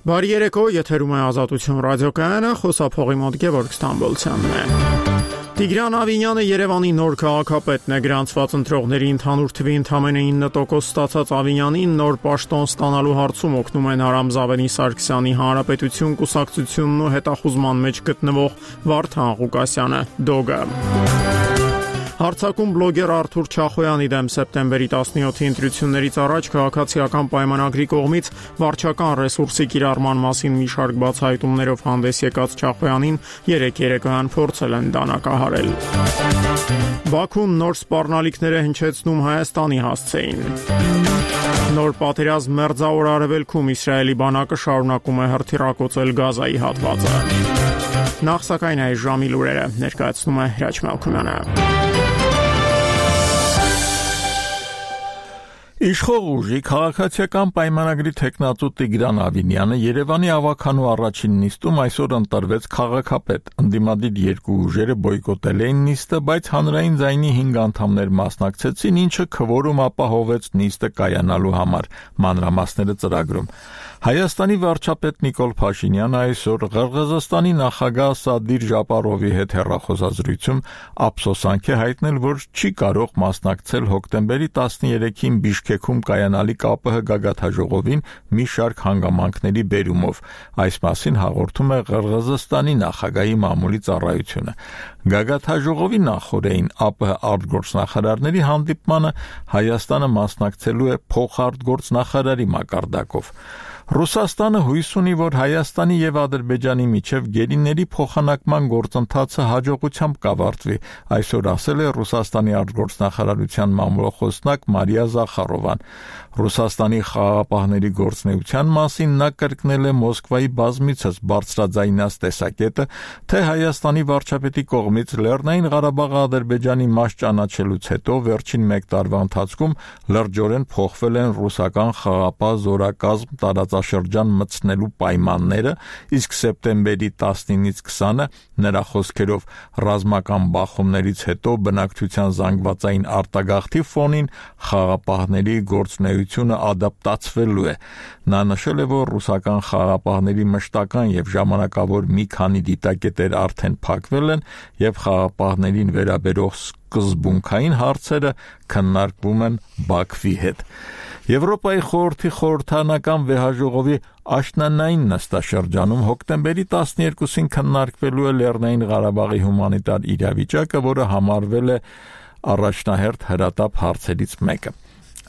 Բարի երեկո, եթերում է Ազատություն ռադիոկայանը, խոսափողի մոտ Գևորգ Ստամբոլցյանն է։ Տիգրան Ավինյանը Երևանի նոր քաղաքապետն է, գրանցված ընտրողների ընդհանուր թվի ընդամենը 9% ստացած Ավինյանին նոր պաշտոն ստանալու հարցում օգնում են Արամ Զավենի Սարգսյանի Հանրապետություն կուսակցությունն ու հետախուզման մեջ գտնվող Վարդան Ղուկասյանը, Դոգը։ Հարցակում բլոգեր Արթուր Չախոյանի դեմ սեպտեմբերի 17-ի ընտրություններից առաջ քաղաքացիական պայմանագրի կողմից վարչական ռեսուրսի կիրառման մասին մի շարք բացահայտումներով հանդես եկած Չախոյանին երեկոյան փորձել են դանակահարել։ Բաքուն նոր սպառնալիքներ է հնչեցնում Հայաստանի հասցեին։ Նոր պատերազմ Մերձավոր Արևելքում Իսրայելի բանակը շարունակում է հրթիռակոծել Գազայի հատվածը։ Նախ սակայն այս ժամի լուրերը ներկայացնում է Հրաչ Մալքումյանը։ Իշխող ուժի քաղաքացիական պայմանագրի թեկնածու Տիգրան Ավինյանը Երևանի ավականու առաջին նիստում այսօր ընտրվեց քաղաքապետ։ Ընդդիմադիր երկու ուժերը բոյկոտել էին նիստը, բայց հանրային ձայնի 5 անդամներ մասնակցեցին, ինչը քվորում ապահովեց նիստը կայանալու համար։ Մանրամասները ծրագրում։ Հայաստանի վարչապետ Նիկոլ Փաշինյանը այսօր Ղրղըզստանի նախագահ Սադիր Ժապարովի հետ հեռախոսազրույցում ափսոսանք է հայտնել, որ չի կարող մասնակցել հոկտեմբերի 13-ին Բիշքեքում կայանալիք ԱՊՀ գագաթաժողովին մի շարք հանգամանքների բերումով։ Այս մասին հաղորդում է Ղրղըզստանի նախագահի մամուլի ծառայությունը։ Գագաթաժողովի նախօրեին ԱՊՀ արտգործնախարարների հանդիպմանը Հայաստանը մասնակցելու է փոխարտգործնախարարի մակարդակով։ Ռուսաստանը հույս ունի, որ Հայաստանի եւ Ադրբեջանի միջև գերիների փոխանակման գործընթացը հաջողությամբ կավարտվի, այսօր ասել է Ռուսաստանի արտգործնախարարության մամուլոխոսնակ Մարիա Զախարովան։ Ռուսաստանի խաղաղապահների գործունեության մասին նա կրկնել է Մոսկվայի բազմիցս բարձրաձայնած տեսակետը, թե Հայաստանի վարչապետի կողմից Լեռնային Ղարաբաղը Ադրբեջանի մաս ճանաչելուց հետո վերջին 1 տարվա ընթացքում լրջորեն փոխվել են ռուսական խաղաղապահ զորակազմ տարածաշրջան մտցնելու պայմանները, իսկ սեպտեմբերի 19-ից 20-ը նրա խոսքերով ռազմական բախումներից հետո բնակչության զանգվածային արտագաղթի ֆոնին խաղաղապահների գործունեությունը ադապտացվելու է։ Նա նշել է, որ ռուսական խաղաղապահների մշտական եւ ժամանակավոր մի քանի դիտակետեր արդեն փակվել են եւ խաղաղապահներին վերաբերող սկզբունքային հարցերը քննարկվում են Բաքվի հետ։ Եվրոպայի խորհրդի խորհրդանական վեհաժողովի աշնանային նստաշրջանում հոկտեմբերի 12-ին քննարկվելու է Լեռնային Ղարաբաղի հումանիտար իրավիճակը, որը համարվել է առաջնահերթ հրատապ հարցերից մեկը։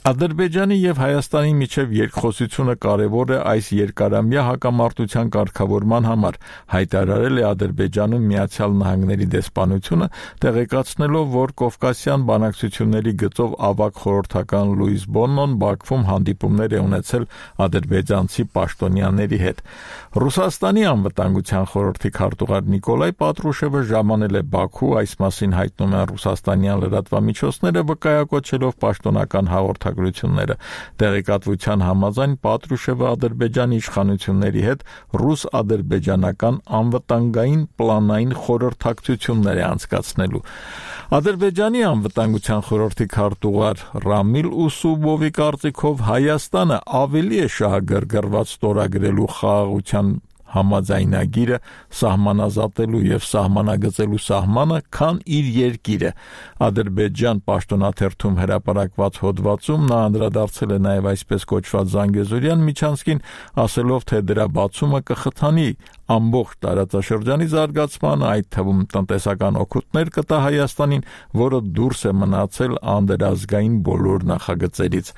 Ադրբեջանի եւ Հայաստանի միջև երկխոսությունը կարևոր է այս երկարամյա հակամարտության կարգավորման համար, հայտարարել է Ադրբեջանում Միացյալ Նահանգների դեսպանությունը, տեղեկացնելով, որ Կովկասյան բանակցությունների գծով ավագ խորհրդական Լուիս Բոննոն Բաքվում հանդիպումներ է ունեցել ադրբեջանցի պաշտոնյաների հետ։ Ռուսաստանի անվտանգության խորհրդի քարտուղար Նիկոլայ Պատրուշևը ժամանել է Բաքու, այս մասին հայտնում են ռուսաստանյան լրատվամիջոցները, վկայակոչելով պաշտոնական հաղորդագրությունները։ Տեղեկատվության համաձայն Պատրուշևը Ադրբեջանի իշխանությունների հետ ռուս-ադրբեջանական անվտանգային պլանային խորհրդակցություններ է անցկացնելու։ Ադրբեջանի անվտանգության խորհրդի քարտուղար Ռամիլ Ուսուբովի կարծիքով Հայաստանը ավելի է շահագրգռված ստորագրելու խաղաղության համաձայնագիրը սահմանազատելու եւ սահմանագծելու սահմանը, քան իր երկիրը։ Ադրբեջան պաշտոնաթերթում հրապարակված հոդվածում նա անդրադարձել է նաեւ այսպես կոչված Զանգեզուրյան միջանցքին, ասելով, թե դրա բացումը կխթանի ամբողջ տարածաշրջանի զարգացմանը, այդ թվում տնտեսական օգուտներ կտա Հայաստանին, որը դուրս է մնացել անդրազգային բոլոր նախագծերից։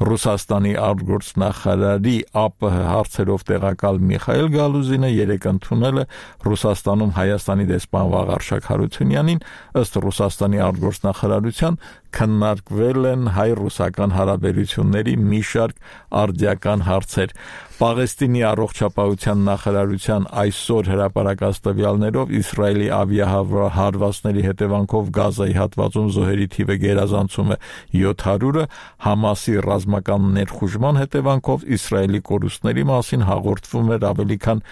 Ռուսաստանի արտգործնախարարի ԱՊՀ հարցերով տեղակալ Միխայել Գալուզինը երեկ ընդունել է Ռուսաստանում Հայաստանի դեսպան Վաղարշակ Հարությունյանին, ըստ Ռուսաստանի արտգործնախարարության քննարկվել են հայ-ռուսական հարաբերությունների մի շարք արդիական հարցեր։ Պաղեստինի առողջապահության նախարարության այսօր հրապարակած տվյալներով Իսրայելի ավիահարվածների հետևանքով Գազայի հատվածում զոհերի թիվը գերազանցում է 700-ը, Համասի ռազմական ներխուժման հետևանքով Իսրայելի կորուստների մասին հաղորդվում էր ավելի քան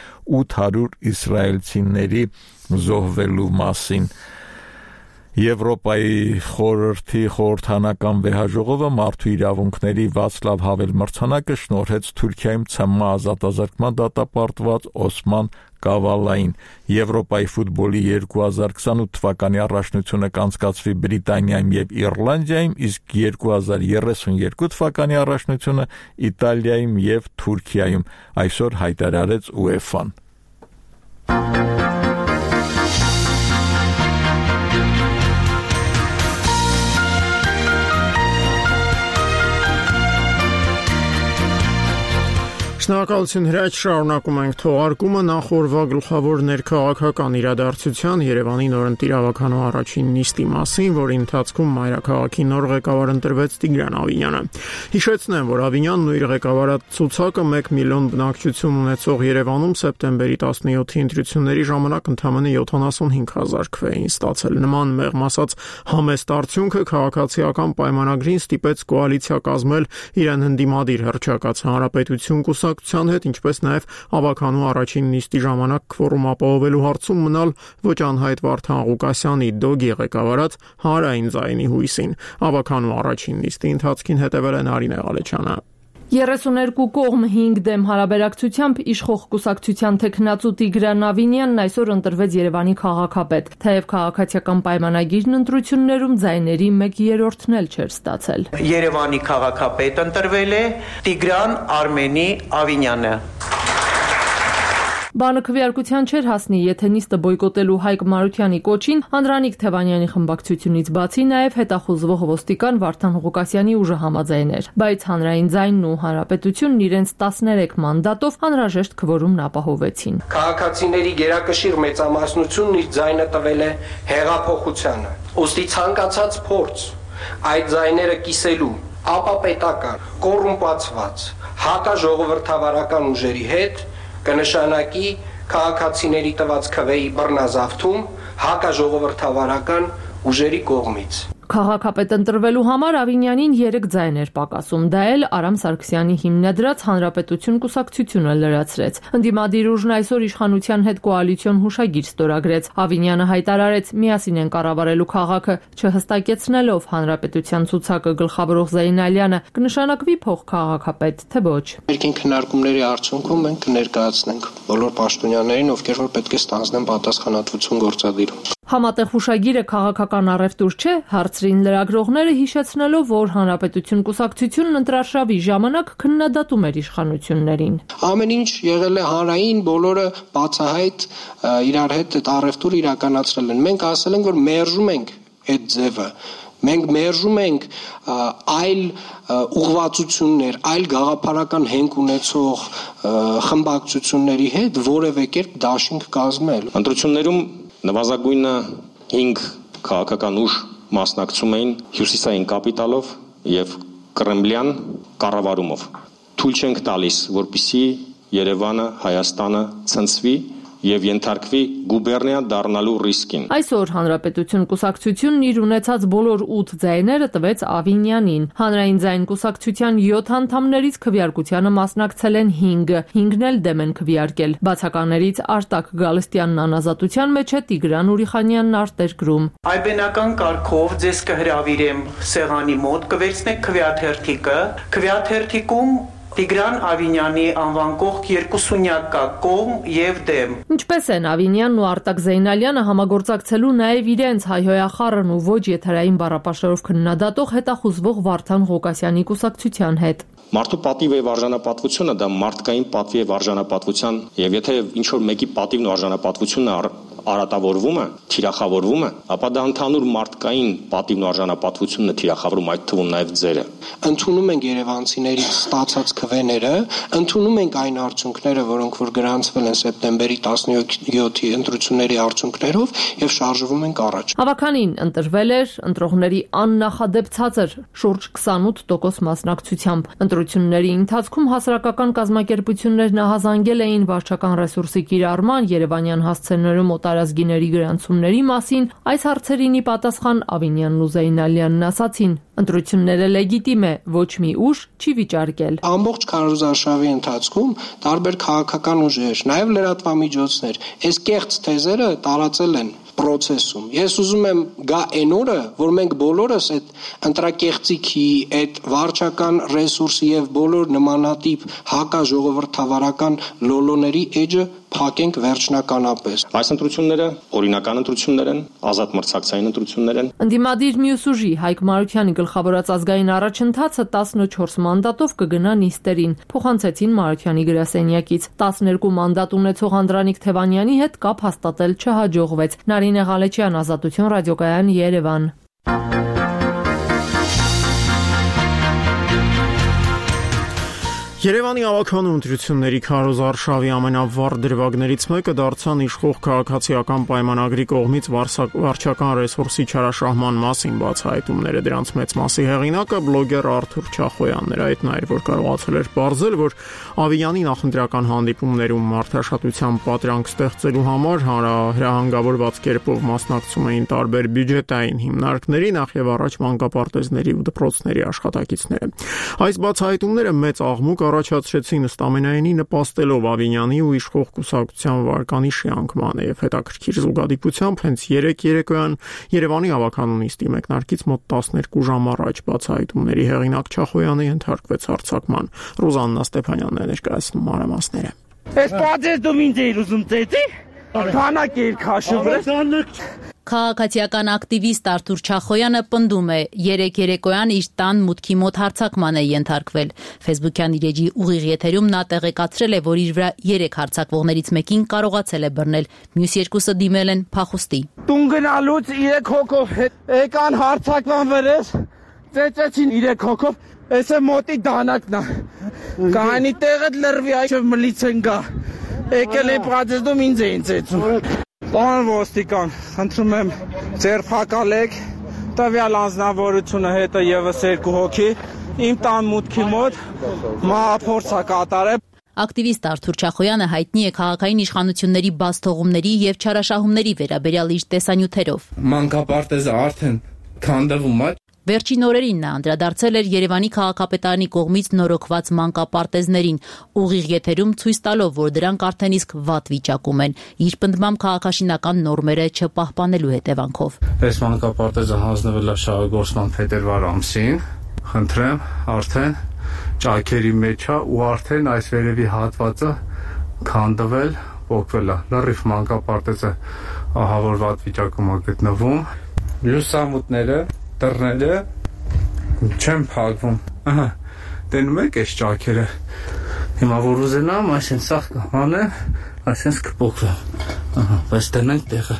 800 իսրայելցիների զոհվելու մասին։ Եվրոպայի խորհրդի խորհրդանական վեհաժողովը մարդու իրավունքների Վացլավ Հավել մրցանակը շնորհեց Թուրքիայում ՑՄ ազատազրկման դատապարտված Օսման Կավալային։ Եվրոպայի ֆուտբոլի 2028 թվականի առաջնությունը կանցկացվի Բրիտանիայում եւ Իռլանդիայում, իսկ 2032 թվականի առաջնությունը Իտալիայում եւ Թուրքիայում, այսօր հայտարարեց UEFA-ն։ Շնորհակալություն Հրաչ, շարունակում ենք թողարկումը նախորդ գլխավոր ներքաղաքական իրադարձության Երևանի նորընտիր ավականու առաջին նիստի մասին, որի ընթացքում մայրաքաղաքի նոր ղեկավար ընտրվեց Տիգրան Ավինյանը։ Հիշեցնեմ, որ Ավինյանն ու իր ղեկավարացուցակը 1 միլիոն բնակչություն ունեցող Երևանում սեպտեմբերի 17-ի ընտրությունների ժամանակ ընդամենը 75,000 քվե էին ստացել։ Նման մեղմ ասած համեստ արդյունքը քաղաքացիական պայմանագրին ստիպեց կոալիցիա կազմել իրեն ընդդիմադիր հռչակած Հանրապետություն կուսակցության հետ, ինչպես նաև ավականու առաջին նիստի ժամանակ քվորում ապահովելու հարցում մնալ ոչ անհայտ Վարդան Ղուկասյանի դոգի ղեկավարած Հանրային ձայնի հույսին։ Ավականու առաջին նիստի ընթացքին հետևել է Նարինե Ղալեչյանը։ 32 կողմ 5 դեմ հարաբերակցությամբ իշխող կուսակցության թեկնածու Տիգրան Ավինյանն այսօր ընտրվեց Երևանի քաղաքապետ, թեև քաղաքացիական պայմանագիրն ընտրություններում ձայների 1/3-ն էլ չէր ստացել։ Երևանի քաղաքապետ ընտրվել է Տիգրան Արմենի Ավինյանը։ Բանը քվեարկության չէր հասնի, եթե նիստը բոյկոտելու Հայկ Մարությանի կոչին Անդրանիկ Թևանյանի խմբակցությունից բացի նաև հետախուզվող ոստիկան Վարդան Ղուկասյանի ուժը համաձայներ, բայց Հանրային ձայնն ու Հանրապետությունն իրենց 13 մանդատով անհրաժեշտ քվորումն ապահովեցին։ Քաղաքացիների գերակշիռ մեծամասնությունն իր ձայնը տվել է հեղափոխությանը։ Ոստի ցանկացած փորձ այդ ձայները կիսելու ապապետական, կոռումպացված, հակաժողովրդավարական ուժերի հետ կնշանակի քաղաքացիների տված քվեի բռնազավթում հակաժողովրդավարական ուժերի կողմից։ Քաղաքապետ ընտրվելու համար Ավինյանին 3 ձայն էր պակասում, դա էլ Արամ Սարգսյանի հիմնադրած Հանրապետություն կուսակցությունը լրացրեց։ Ընդդիմադիր ուժն այսօր իշխանության հետ կոալիցիոն հուշագիր ստորագրեց։ Ավինյանը հայտարարեց՝ միասին են կառավարելու քաղաքը, չհստակեցնելով Հանրապետության ցուցակը գլխավորող Զեյնալյանը կնշանակվի փոխքաղաքապետ, թե ոչ։ Երկին քննարկումների արդյունքում մենք կներկայացնենք բոլոր պաշտոնյաներին, ովքեր որ պետք է ստանձնեն պատասխանատվություն գործադիրում։ Համատեղ հուշագիրը քաղաքական առևտուր չէ, հարցրին լրագրողները, հիշեցնելով, որ Հանրապետություն կուսակցությունն ընտրարշավի ժամանակ քննադատում էր իշխանություններին։ Ամեն ինչ եղել է հանրային, բոլորը բացահայտ իրար հետ այդ առևտուրը իրականացրել են։ Մենք ասել ենք, որ մերժում ենք այդ ձևը։ Մենք մերժում ենք այլ ուղղվածություններ, այլ գաղափարական հենք ունեցող խմբակցությունների հետ որևէ կերպ դաշինք կազմել։ Ընտրություններում նվազագույնը 5 քաղաքական ուժ մասնակցում էին հյուսիսային կապիտալով եւ կրեմլյան կառավարումով։ Թույլ չենք տալիս, որպեսզի Երևանը, Հայաստանը ցնցվի եւ ենթարկվի գուբերնիա դառնալու ռիսկին։ Այսօր Հանրապետություն կուսակցությունն իր ունեցած բոլոր 8 ձայները տվեց Ավինյանին։ Հանրային ձայն կուսակցության 7 անդամներից քվեարկությանը մասնակցել են 5, 5-ն էլ դեմ են քվեարկել։ Բացականներից Արտակ Գալստյանն անազատության մեջ է, Տիգրան Ուրիխանյանն արտերկրում։ Այբենական կարգով ձեզ կհրավիրեմ սեղանի մոտ, կվերցնեք քվեաթերթիկը, քվեաթերթիկում Տիգրան Ավինյանի անվան կողք 2 կա կողմ եւ դեմ։ Ինչպես են Ավինյանն ու Արտակ Զեյնալյանը համագործակցելու նաև իրենց հայհոյախառն ու ոչ եթերային բառապաշարով քննադատող հետախուզվող Վարդան Ղուկասյանի կուսակցության հետ։ Մարդու պատիվ եւ արժանապատվությունը դա մարդկային պատվի եւ արժանապատվության եւ եթե ինչ որ մեկի պատիվն ու արժանապատվությունը արատավորվում է, թիրախավորվում է, ապա դա ընդհանուր մարդկային պատիվն ու արժանապատվությունն է թիրախավորում, այդ թվում նաև ձերը։ Ընդունում ենք երևանցիներից ստացած քվեները, ընդունում ենք այն արդյունքները, որոնք որ գրանցվել են սեպտեմբերի 17-ի ընտրությունների արդյունքներով եւ շարժվում ենք առաջ։ Ավականին ընտրվել էր ընտրողների աննախադեպ ցածր շուրջ 28% մասնակցությամբ։ Ընտրությունների ընթացքում հասարակական կազմակերպություններն ահազանգել էին վարչական ռեսուրսի կիրառման, Երևանյան հասցեներում տարազգիների գրանցումների մասին, այս հարցերին ի պատասխան Ավինյանն ու Զեյնալյանն ասացին. ընտրությունները լեգիտիմ է, ոչ մի ուժ չի վիճարկել։ Ամբողջ քարոզարշավի ընթացքում տարբեր քաղաքական ուժեր, նաև լրատվամիջոցներ, այս կեղծ թեզերը տարածել են process-ում։ Ես ուզում եմ գա այն օրը, որ մենք բոլորս այդ ընտրակեղծիքի, այդ վարչական ռեսուրսի եւ բոլոր նմանատիպ հակաժողովրդավարական լոլոների էջը փակենք վերջնականապես։ Այս ընտրությունները օրինական ընտրություններ են, ազատ մրցակցային ընտրություններ են։ Ընդդիմադիր մյուս ուժի Հայկ Մարությանի գլխավորած ազգային առաջընթացը 14 մանդատով կգնա նիստերին, փոխանցեցին Մարությանի գրասենյակից։ 12 մանդատ ունեցող Անդրանիկ Թևանյանի հետ կապ հաստատել չհաջողվեց։ Նարինե Ղալեչյան, Ազատություն ռադիոկայան, Երևան։ Երևանի ավականու ընտրությունների քարոզ արշավի ամենավառ դրվագներից մեկը դարձան իշխող քաղաքացիական պայմանագրի կողմից վարչական ռեսուրսի չարաշահման մասին բացահայտումները։ Դրանց մեծ մասի հեղինակը բլոգեր Արթուր Չախոյանն էր։ Այդ նա էր, որ կարողացել էր պարզել, որ Ավիյանի նախընտրական հանդիպումներում մարդաշատության պատրանք ստեղծելու համար հրահանգավորված կերպով մասնակցում էին տարբեր բյուջետային հիմնարկների, նախ եւ առաջ մանկապարտեզների ու դպրոցների աշխատակիցները։ Այս բացահայտումները մեծ աղմուկ առաջացրեցին ըստ ամենայնի նպաստելով Ավիյանի ու իշխող կուսակցության վարկանիշի անկմանը եւ հետաքրքիր զուգադիպությամբ հենց 3 երեկոյան Երևանի ավականու նիստի մեկնարկից մոտ 12 ժամ առաջ բացահայտումների հեղինակ Չախոյանը ենթարկվեց հարձակման։ Ռուզաննա Ստեփանյանն է ներկայացնում մանրամասները։ Այս պատեր դու ինձ էիր ուզում ծեծի։ Քանակ էիր քաշում։ Քաղաքացիական ակտիվիստ Արթուր Չախոյանը պնդում է, 3 երեկոյան իր տան մուտքի մոտ հարձակման է ենթարկվել։ Facebook-յան իր էջի ուղիղ եթերում նա տեղեկացրել է, որ իր վրա 3 հարձակվողներից մեկին կարողացել է բռնել, մյուս երկուսը դիմել են փախուստի։ Տուն գնալուց 3 հոգով եկան հարձակման վրես, ծեծեցին 3 հոգով, էսը մոտի դանակն է։ Կանի տեղը լրվի այլ մլիցեն գա։ Եկել են պատերազմ ինձ էին ծեծում։ Պարոն ոստիկան, խնդրում եմ ձերբակալեք տվյալ անձնավորությունը հետը եւս 2 հոգի իմ տան մուտքի մոտ մահափորձ կատարել։ Ակտիվիստ Արթուր Չախոյանը հայտնի է քաղաքային իշխանությունների բացթողումների եւ չարաշահումների վերաբերյալ իր տեսանյութերով։ Մանկապարտեզը արդեն քանդվում է։ Վերջին օրերին նա անդրադարձել էր Երևանի քաղաքապետարանի կողմից նորոգված մանկապարտեզներին, ուղիղ եթերում ցույց տալով, որ դրանք արդեն իսկ վատ վիճակում են, իր պնդմամբ քաղաքաշինական նորմերը չպահպանելու հետևանքով։ Այս մանկապարտեզը հանձնվել է շահագործման փետրվար ամսին, խնդրեմ, արդեն ճաքերի մեջ է ու արդեն այս վերևի հատվածը քանդվել, փոխվել է։ Լրիվ մանկապարտեզը ահա որ վատ վիճակում է գտնվում։ Լուսամուտները դռները չեմ փակվում։ Ահա, տենում եք այս ճաքերը։ Հիմա որ ուզենամ, այսին սաղ կհանեմ, այսինքն կփոխվեմ։ Ահա, բայց դնենք տեղը։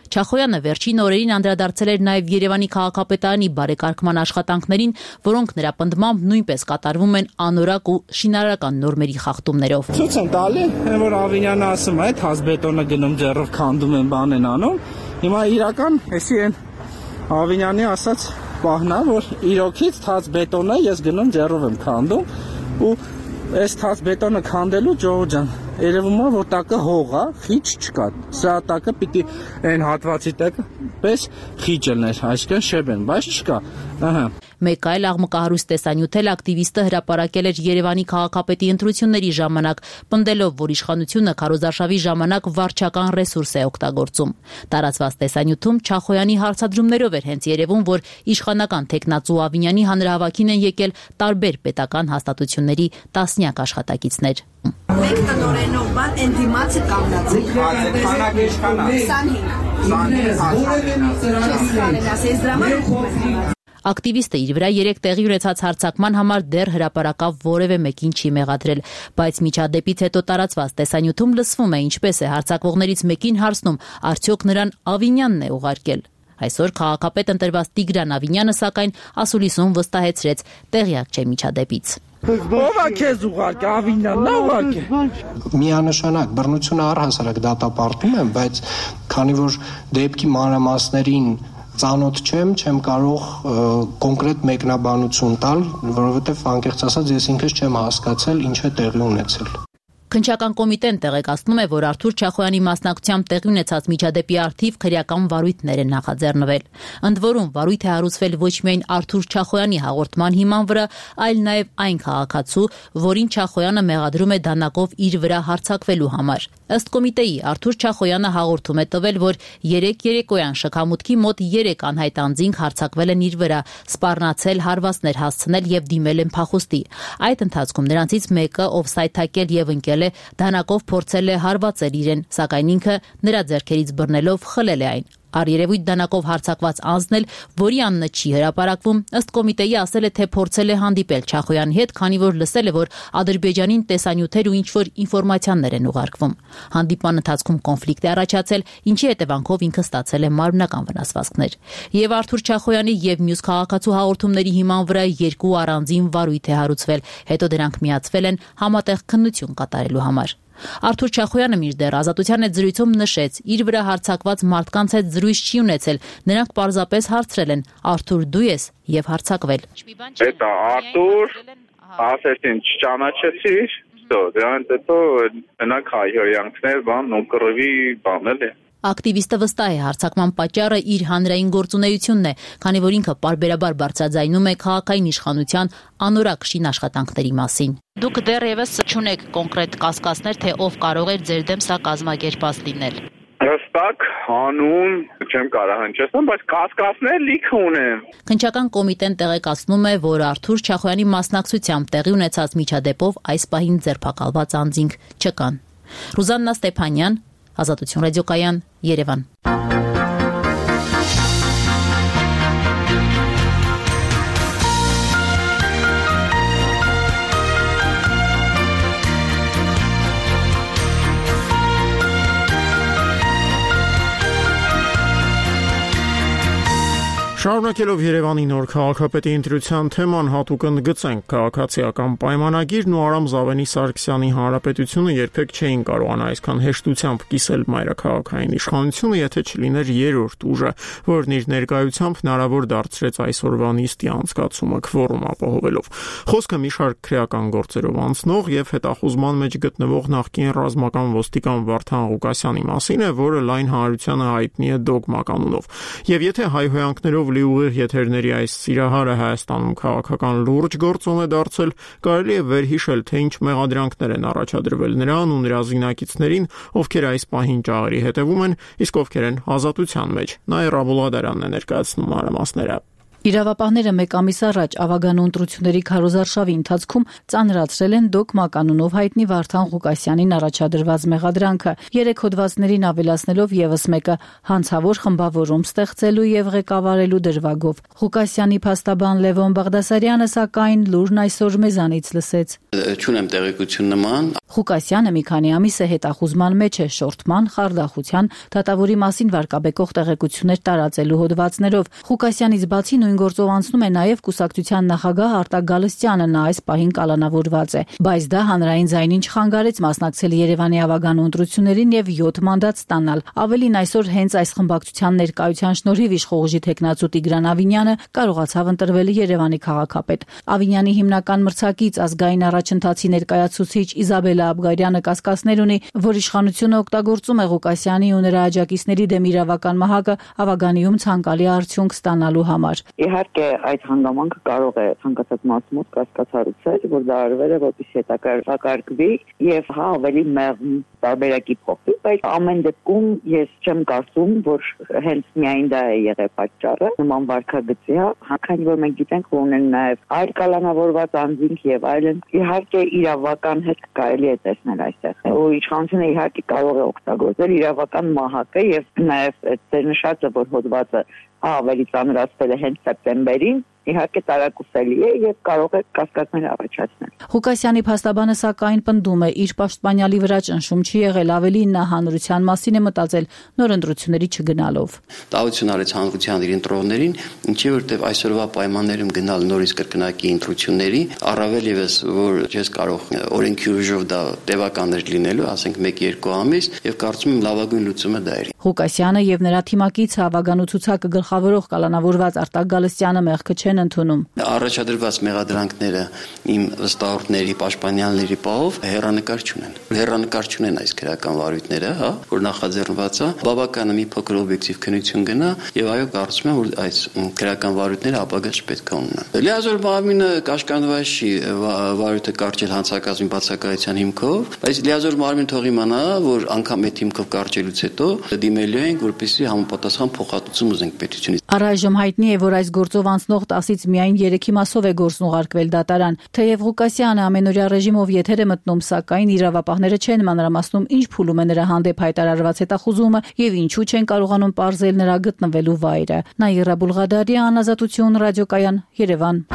Չախոյանը վերջին օրերին անդրադարձել էր նաև Երևանի քաղաքապետարանի բարեկարգման աշխատանքներին, որոնք նրա պնդմամբ նույնպես կատարվում են անորակ ու շինարարական նորմերի խախտումներով։ Ցույց են տալի, որ Ավիյանը ասում է, հազբետոնը գնում ձեռով քանդում են, բան են անում։ Հիմա իրական էսի են Ավիյանի ասած պահնա, որ իրոքից թաց բետոնը ես գնում ձեռով եմ քանդում ու այս թաց բետոնը քանդելու Ջոհ ջան երևում է որ տակը հող է, խիչ չկա։ Սա տակը պիտի այն հատվածի տակը պես խիչ լիներ, այսինքն շեբեն, բայց չկա։ Ահա։ Մեկ այլ աղմկահարույց տեսանյութ էլ ակտիվիստը հրապարակել էր Երևանի քաղաքապետի ընտրությունների ժամանակ, պնդելով, որ իշխանությունը քարոզարշավի ժամանակ վարչական ռեսուրս է օգտագործում։ Տարածված տեսանյութում Չախոյանի հարցադրումներով էր հենց երևում, որ իշխանական տեխնացու Ավիյանի հանրահավաքին են եկել տարբեր պետական հաստատությունների տասնյակ աշխատակիցներ։ Մենք տնօրենով բան ընդդիմացը կանգնացեք։ Քանակ իշխանա։ Ակտիվիստը իր վրա 3 տեղի ունեցած հարձակման համար դեռ հրապարակավ որևէ մեկին չի մեղադրել, բայց միջադեպից հետո տարածված տեսանյութում լսվում է ինչպես է հարձակվողներից մեկին հարցնում, արդյոք նրան Ավիյանն է ուղարկել։ Այսօր քաղաքապետ ընտրված Տիգրան Ավինյանը սակայն ասուլիսում վստահեցրեց, տեղյակ չէ միջադեպից։ Ո՞վ է քեզ ուղարկի, Ավինյանն է ուղարկի։ Միանշանակ բռնությունը առհասարակ դատապարտում եմ, բայց քանի որ դեպքի մանրամասներին ծանոթ չեմ կարող կոնկրետ մեկնաբանություն տալ, որովհետև անկեղծ ասած ես ինքս չեմ հասկացել ինչ է տեղի ունեցել։ Քննչական կոմիտեն տեղեկացնում է, որ Արթուր Չախոյանի մասնակցությամբ տեղի ունեցած միջադեպի առթիվ քրեական վարույթներ են նախաձեռնվել։ Ընդ որում վարույթ է հարուցվել ոչ միայն Արթուր Չախոյանի հաղորդման հիման վրա, այլ նաև այն քաղաքացու, որին Չախոյանը մեղադրում է դանակով իր վրա հարձակվելու համար։ Ըստ կոմիտեի Արթուր Չախոյանը հաղորդում է տվել, որ 3 երեկոյան շքամուտքի մոտ 3 անհայտ անձինք հարձակվել են իր վրա, սպառնացել, հարվածներ հասցնել եւ դիմել են փախուստի։ Այդ ընթացքում նրանցից մեկը, ով սայթաքել եւ ընկել է, դանակով փորձել է հարվածել իրեն, սակայն ինքը նրա ձեռքերից բռնելով խլել է այն։ Առերևույթ դանակով հարձակված անձն էլ, որի անունը չի հրապարակվում, ըստ կոմիտեի ասել է, թե փորձել է հանդիպել Չախոյանի հետ, քանի որ լսել է, որ Ադրբեջանին տեսանյութեր ու ինչ-որ ինֆորմացիաներ են ուղարկվում։ Հանդիպման ընթացքում կոնֆլիկտ է առաջացել, ինչի հետևանքով ինքը ստացել է մարմնական վնասվածքներ։ Եվ Արթուր Չախոյանի եւ մյուս քաղաքացու հաղորդումների հիման վրա 2 առանձին վարույթ է հարուցվել, հետո դրանք միացվել են համատեղ քննություն կատարելու համար։ Արթուր Չախոյանը մինչդեռ Ազատության հետ զրույցում նշեց, իր վրա հարձակված մարդկանց հետ զրույց չի ունեցել, նրանք պարզապես հարցրել են. Արթուր, դու ես եւ հարձակվել։ Դա Արթուր, ասեցին չճանաչեցիր, դրանից հետո նրանք հայհոյանքներ, ու կռվի բանել է։ Ակտիվիստը վստահ է հարձակման պատճառը իր հանրային գործունեությունն է, քանի որ ինքը պարբերաբար բարձրաձայնում է քաղաքային իշխանության անորակ շին աշխատանքների մասին։ Դուք դեռևս չունեք կոնկրետ կասկածներ, թե ով կարող էր ձեր դեմ սա կազմակերպած լինել։ Հստակ հանուն չեմ կարող հնչեցնել, բայց կասկածներ լիքը ունեմ։ Քննչական կոմիտեն տեղեկացնում է, որ Արթուր Չախոյանի մասնակցությամբ տեղի ունեցած միջադեպով այս պահին ձերբակալված անձինք չկան։ Ռուզաննա Ստեփանյան, Ազատություն ռադիոկայան, Երևան։ Շարունակելով Երևանի նոր քաղաքապետի ընտրության թեման հատուկ ընդգծենք քաղաքացիական պայմանագիրն ու Արամ Զավենի Սարգսյանի հանրապետությունը երբեք չէին կարողանա այսքան հեշտությամբ կիսել մայրաքաղաքային իշխանությունը, եթե չլիներ երրորդ ուժը, որն իր ներկայությամբ հնարավոր դարձրեց այսօրվա նիստի անցկացումը քվորում ապահովելով։ Խոսքը մի շարք քրեական գործերով անցնող եւ հետախուզման մեջ գտնվող նախկին ռազմական ոստիկան Վարդան Ղուկասյանի մասին է, որը լայն հանրությանը հայտնի է դոգմա կանոնով։ Եվ եթե հայհոյանքներով լի ուղիղ եթերների այս սիրահարը Հայաստանում քաղաքական լուրջ գործոն է դարձել, կարելի է վերհիշել, թե ինչ մեղադրանքներ են առաջադրվել նրան ու նրա զինակիցներին, ովքեր այս պահին ճաղերի հետևում են, իսկ ովքեր են ազատության մեջ։ Նաիրա Բուլադարանն է ներկայացնում մանրամասները։ Իրավապահները մեկ ամիս առաջ ավագանու ընտրությունների քարոզարշավի ընթացքում ծանրացրել են դոգմա կանոնով հայտնի Վարդան Ղուկասյանին առաջադրված մեղադրանքը, 3 հոդվածներին ավելացնելով եւս մեկը հանցավոր խմբավորում ստեղծելու եւ ղեկավարելու դրվագով։ Ղուկասյանի փաստաբան Լևոն Բաղդասարյանը սակայն լուրն այսօր մեզանից լսեց։ Չունեմ տեղեկություն նման։ Ղուկասյանը մի քանի ամիս է հետախուզման մեջ է շորթման, խարդախության, դատավորի մասին վարկաբեկող տեղեկություններ տարածելու հոդվածներով։ Ղուկասյանից բացի նույն գործով անցնում է նաև կուսակցության նախագահ Արտակ Գալստյանը, նա այս պահին կալանավորված է, բայց դա հանրային ձայնին չխանգարեց մասնակցել Երևանի ավագանու ընտրություններին եւ 7 մանդատ ստանալ։ Ավելին այսօր հենց այս խմբակցության ներկայության շնորհիվ իշխողժի տեխնացու Տիգրան Ավինյանը կարողացավ ընտրվել Երևանի քաղաքապետ։ Ավինյանի հիմնական մրցակից ազգային առաջընթացի ներկայացուցիչ Իզաբելա Աբգարյանը կասկածներ ունի, որ իշխանությունը օգտագործում է Ղուկասյանի ու նրա աջակիցների դեմ իրավական մահակը ավագանիում ցանկալի արդյունք ստանալու համար։ Իհարկե այդ հանգամանքը կարող է ցանկացած մասմոտ կասկածառուցել, որ դա արվել է որպես հետակարգվի եւ ավելի մեղմ տարբերակի փոխվի, բայց ամեն դեպքում ես չեմ կարծում, որ հենց միայն դա է եղել պատճառը նման վարքագծի, քանի որ մենք գիտենք, որ ունեն նաեւ այլ կալանավորված անձինք եւ այլն։ Իհարկե իրավական հետ կարելի է տեսնել այստեղ։ Ու իշխանությունը իհարկե կարող է օգտագործել իրավական մահակը եւ նաեւ այդ նշածը, որ հոդվածը ավելի ծանրացվել է հենց սեպտեմբերին, իհարկե տարակուսելի է եւ կարող է կասկածներ առաջացնել։ Ղուկասյանի փաստաբանը սակայն պնդում է, իր պաշտպանյալի վրա ճնշում չի եղել, ավելին նա հանրության մասին է մտածել նոր ընտրությունների չգնալով։ Տավություն արեց հանրության իր ընտրողներին, ինչի որտեվ այսօրվա պայմաններում գնալ նորից կրկնակի ընտրությունների, առավել եւս որ ես կարող օրենքի ուժով դա տևական էր լինելու, ասենք 1-2 ամիս, եւ կարծում եմ լավագույն լուծումը դա էր։ Ղուկասյանը եւ նրա թիմակիցը ավագանու ցուցակը գլխավորող կալանավորված Արտակ Գալստյանը մեղքը չեն ընդունում։ Առաջադրված մեղադրանքները իմ վստահորդների, պաշտպանյանների պահով հեռանկար չունեն այս քրեական վարույթները, որ նախաձեռնված է, բավական մի փոքր օբյեկտիվ քննություն գնա եւ այո, կարծում եմ, որ այս քրեական վարույթները ապագաց պետք է ունենան։ Լիազոր Մարմինը կաշկանդված չի վարույթը կարճել հանցակազմի բացակայության հիմքով, բայց Լիազոր Մարմին թող իմանա, որ անգամ այդ հիմքով կարճելուց հետո դիմելու ենք, որպեսզի համապատասխան փոխհատուցում ուզենք պետությունից։ Առայժմ հայտնի է, որ այս գործով անցնող 10-ից միայն 3 մասով է գործն ուղարկվել դատարան։ Թեև Ղուկասյանը ամենօրյա ռեժիմով եթեր է մտնում, սակայն իրավապահները չեն մանրամասնում, ինչ փուլում է նրա հանդեպ հայտարարված հետախուզումը եւ ինչու չեն կարողանում պարզել նրա գտնվելու վայրը։ Նաիրա Բուլղադարյան, Ազատություն, ռադիոկայան, Երևան։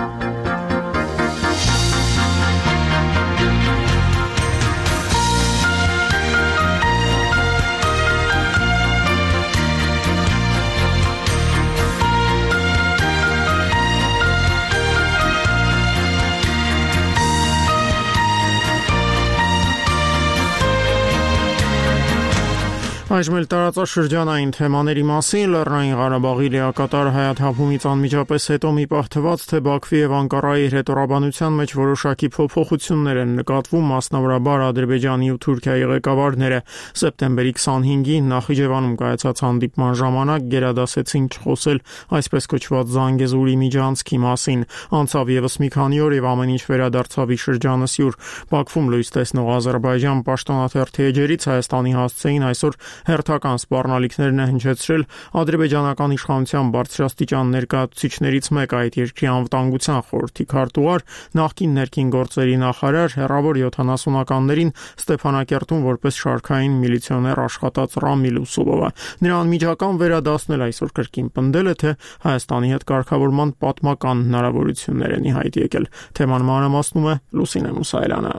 Այժմ էլ տարածաշրջանային թեմաների մասին Լեռնային Ղարաբաղի լիակատար հայաթափումից անմիջապես հետո մի պահ թվաց, թե Բաքվի եւ Անկարայի հետորաբանության մեջ որոշակի փոփոխություններ են նկատվում, մասնավորաբար Ադրբեջանի ու Թուրքիայի ղեկավարները սեպտեմբերի 25-ին Նախիջևանում կայացած հանդիպման ժամանակ գերադասեցին չխոսել այսպես կոչված Զանգեզուրի միջանցքի մասին։ Անցավ եւս մի քանի օր եւ ամեն ինչ վերադարձավ ի շրջանասյուր։ Բաքվում լույս տեսնող Ադրբեջան պաշտոնաթերթի էջերից Հայաստանի հասցեին այսօր հերթական սպառնալիքներն է հնչեցրել ադրբեջանական իշխանության բարձրաստիճան ներկայացուցիչներից մեկը, այդ երկրի անվտանգության խորհրդի քարտուղար, նախկին ներքին գործերի նախարար, հեռավոր 70-ականներին Ստեփանակերտում որպես շարքային միլիցիոներ աշխատած Ռամիլ Ուսուլովը։ Նրա անմիջական վերադասնել այսօր կրկին պնդել է, թե Հայաստանի հետ կարգավորման պատմական հնարավորություններ են ի հայտ եկել։ Թեման մանրամասնում է Լուսինե Մուսայելյանը։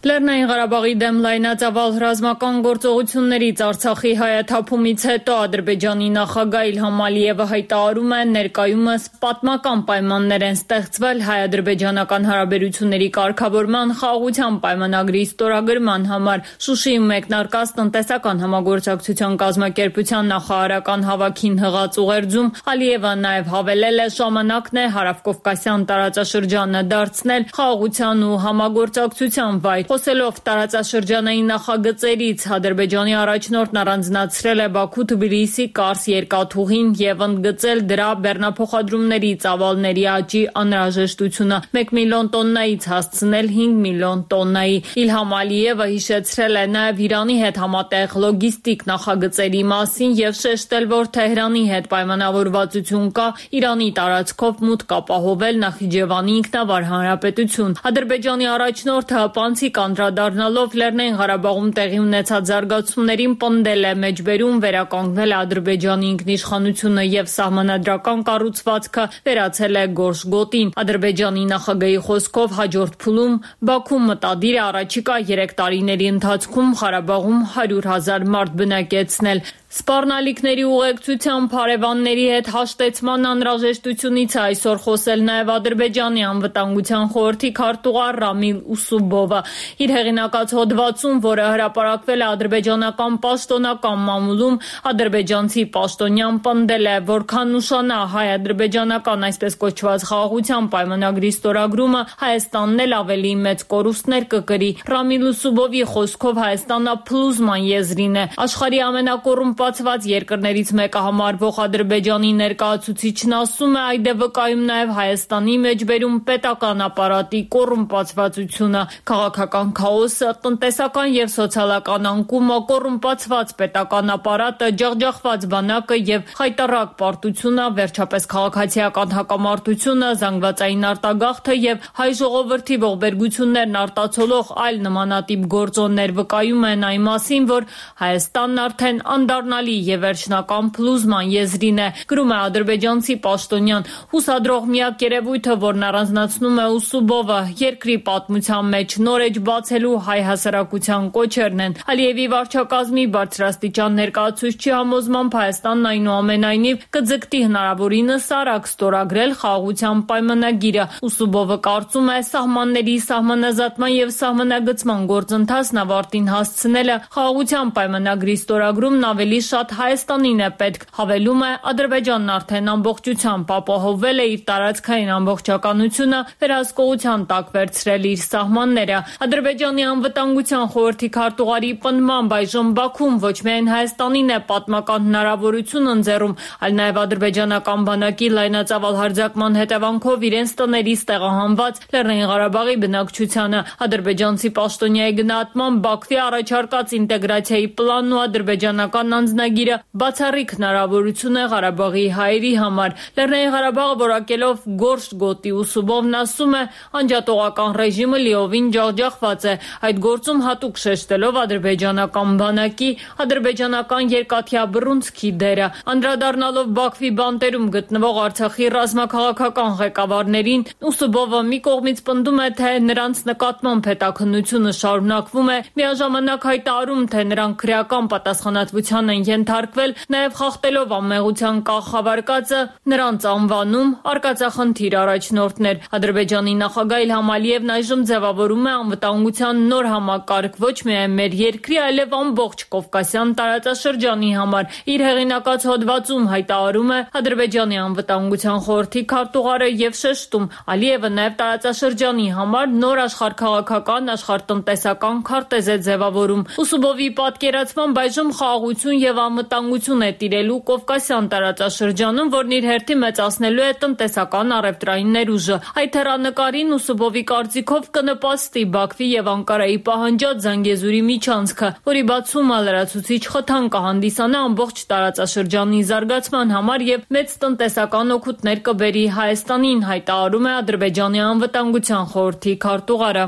Լեռնային Ղարաբաղի դեմ լայնածավալ ռազմական գործողություններից Արցախի հայաթափումից հետո Ադրբեջանի նախագահ Իլհամ Ալիևը հայտարարում է, ներկայումս պատմական պայմաններ են ստեղծվել հայ-ադրբեջանական հարաբերությունների կարգավորման խաղաղության պայմանագրի ստորագրման համար։ Շուշիում մեկնարկած տնտեսական համագործակցության կազմակերպության նախարարական հավաքին հղած ուղերձում Ալիևը նաև հավելել է, ժամանակն է հարավկովկասյան տարածաշրջանը դարձնել խաղաղության ու համագործակցության վայր։ Խոսելով տարածաշրջանային նախագծերից, Ադրբեջանի առաջնորդն առանձնացրել է Բաքու-Թբիլիսի Կարս երկաթուղին եւ ընդգծել դրա բեռնափոխադրումների ծավալների աճի անհրաժեշտությունը 1 միլիոն տոննայից հասցնել 5 միլիոն տոննայի։ Իլհամ Ալիևը հիշեցրել է նաեւ Իրանի հետ համատեղ լոգիստիկ նախագծերի մասին եւ շեշտել, որ Թեհրանի հետ պայմանավորվածություն կա Իրանի տարածքով մուտք ապահովել Նախիջևանի ինքնավար հանրապետություն։ Ադրբեջանի առաջնորդը հպանցիկ անդրադառնալով Լեռնային Ղարաբաղում տեղի ունեցած զարգացումներին պնդել է մեջբերում վերականգնել Ադրբեջանի ինքնիշխանությունը եւ սահմանադրական կառուցվածքը վերացել է գորշ գոտին։ Ադրբեջանի նախագահի խոսքով հաջորդ փուլում Բաքուն մտադիր է առաջիկա 3 տարիների ընթացքում Ղարաբաղում 100,000 մարդ բնակեցնել։ Սպառնալիքների ուղեկցությամբ հարևանների հետ հաշտեցման անհրաժեշտությունից այսօր խոսել նաև Ադրբեջանի անվտանգության խորհրդի քարտուղար Ռամիլ Ուսուբովը։ Իր հեղինակած հոդվածում, որը հրապարակվել է ադրբեջանական պաշտոնական մամուլում, ադրբեջանցի պաշտոնյան պնդել է, որքան ուշանա հայ-ադրբեջանական այսպես կոչված խաղաղության պայմանագրի ստորագրումը, Հայաստանն էլ ավելի մեծ կորուստներ կկրի։ Ռամիլ Ուսուբովի խոսքով Հայաստանը փլուզման եզրին է։ Աշխարհի ամենակոռումպացված երկրներից մեկը համարվող Ադրբեջանի ներկայացուցիչն ասում է, այդ է վկայում նաև Հայաստանի մեջբերում պետական ապարատի կոռումպացվածությունը, քաղաքական քաոսը, տնտեսական եւ սոցիալական անկումը, կոռումպացված պետական ապարատը, ջախջախված բանակը եւ խայտառակ պարտությունը, վերջապես քաղաքացիական հակամարտությունը, զանգվածային արտագաղթը եւ հայ ժողովրդի ողբերգություններն արտացոլող այլ նմանատիպ գործոններ վկայում են այն մասին, որ Հայաստանն արդեն անդառնալի եւ վերջնական փլուզման եզրին է, գրում է ադրբեջանցի պաշտոնյան։ Հուսադրող միակ երևույթը, որն առանձնացնում է Ուսուբովը, երկրի պատմության մեջ նոր էջ բացելու հայ հասարակության կոչերն են։ Ալիևի վարչակազմի բարձրաստիճան ներկայացուցչի համոզմամբ Հայաստանն այնուամենայնիվ կձգտի հնարավորինս արագ ստորագրել խաղաղության պայմանագիրը։ Ուսուբովը կարծում է, սահմանների սահմանազատման եւ սահմանագծման գործընթացն ավարտին հասցնելը խաղաղության պայմանագրի ստորագրումն ավելի ավելի շատ Հայաստանին է պետք, հավելում է, Ադրբեջանն արդեն ամբողջությամբ ապահովվել է իր տարածքային ամբողջականությունը, վերահսկողության տակ վերցրել իր սահմանները։ Ադրբեջանի անվտանգության խորհրդի քարտուղարի պնդմամբ այժմ Բաքուն ոչ միայն Հայաստանին է պատմական հնարավորություն ընձեռում, այլ նաև ադրբեջանական բանակի լայնածավալ հարձակման հետևանքով իրենց տներից տեղահանված Լեռնային Ղարաբաղի բնակչությանը։ Ադրբեջանցի պաշտոնյայի գնահատմամբ Բաքվի առաջարկած ինտեգրացիայի պլանն ու ադրբեջանական անձնագիրը բացառիկ հնարավորություն է Ղարաբաղի հայերի համար։ Լեռնային Ղարաբաղը որակելով Գորշ գոտի ուսուբովն ասում է, անջատողական ռեժիմը լիովին ջախջախված է, այդ գործում հատուկ շեշտելով ադրբեջանական բանակի, ադրբեջանական երկաթյա բռունցքի դերը։ Անդրադառնալով Բաքվի բանտերում գտնվող Արցախի ռազմաքաղաքական ղեկավարներին, Ուսուբովը մի կողմից պնդում է, թե նրանց նկատմամբ հետաքննությունը շարունակվում է, միաժամանակ հայտարարում, թե նրանք քրեական պատասխանատվության են ենթարկվել, նաև խախտելով անմեղության կարգավարկածը, նրանց անվանում արկածախնդիր առաջնորդներ։ Ադրբեջանի նախագահ Իլհամ Ալիևն այժմ ձևավորում է անվտանգության նոր համակարգ ոչ միայն մեր երկրի, այլև ամբողջ Կովկասյան տարածաշրջանի համար։ Իր հեղինակած հոդվածում հայտարարում է Ադրբեջանի անվտանգության խորհրդի քարտուղարը եւ շեշտում, Ալիևը նաև տարածաշրջանի համար նոր աշխարհքաղաքական, աշխարհտնտեսական քարտեզ է ձևավորում։ Ուսուբովի պատկերացմամբ այժմ խաղաղություն եւ անվտանգություն է տիրելու Կովկասյան տարածաշրջանում, որն իր հերթին մեծացնելու է տնտեսական առևտրային ներուժը։ Այդ հեռանկարին Ուսուբովի կարծիքով կնպաստի Բաքվի եւ Անկարայի պահանջած Զանգեզուրի միջանցքը, որի բացումը լրացուցիչ խթան կհանդիսանա ամբողջ տարածաշրջանի զարգացման համար եւ մեծ տնտեսական օգուտներ կբերի Հայաստանին, հայտարարում է Ադրբեջանի անվտանգության խորհրդի քարտուղարը։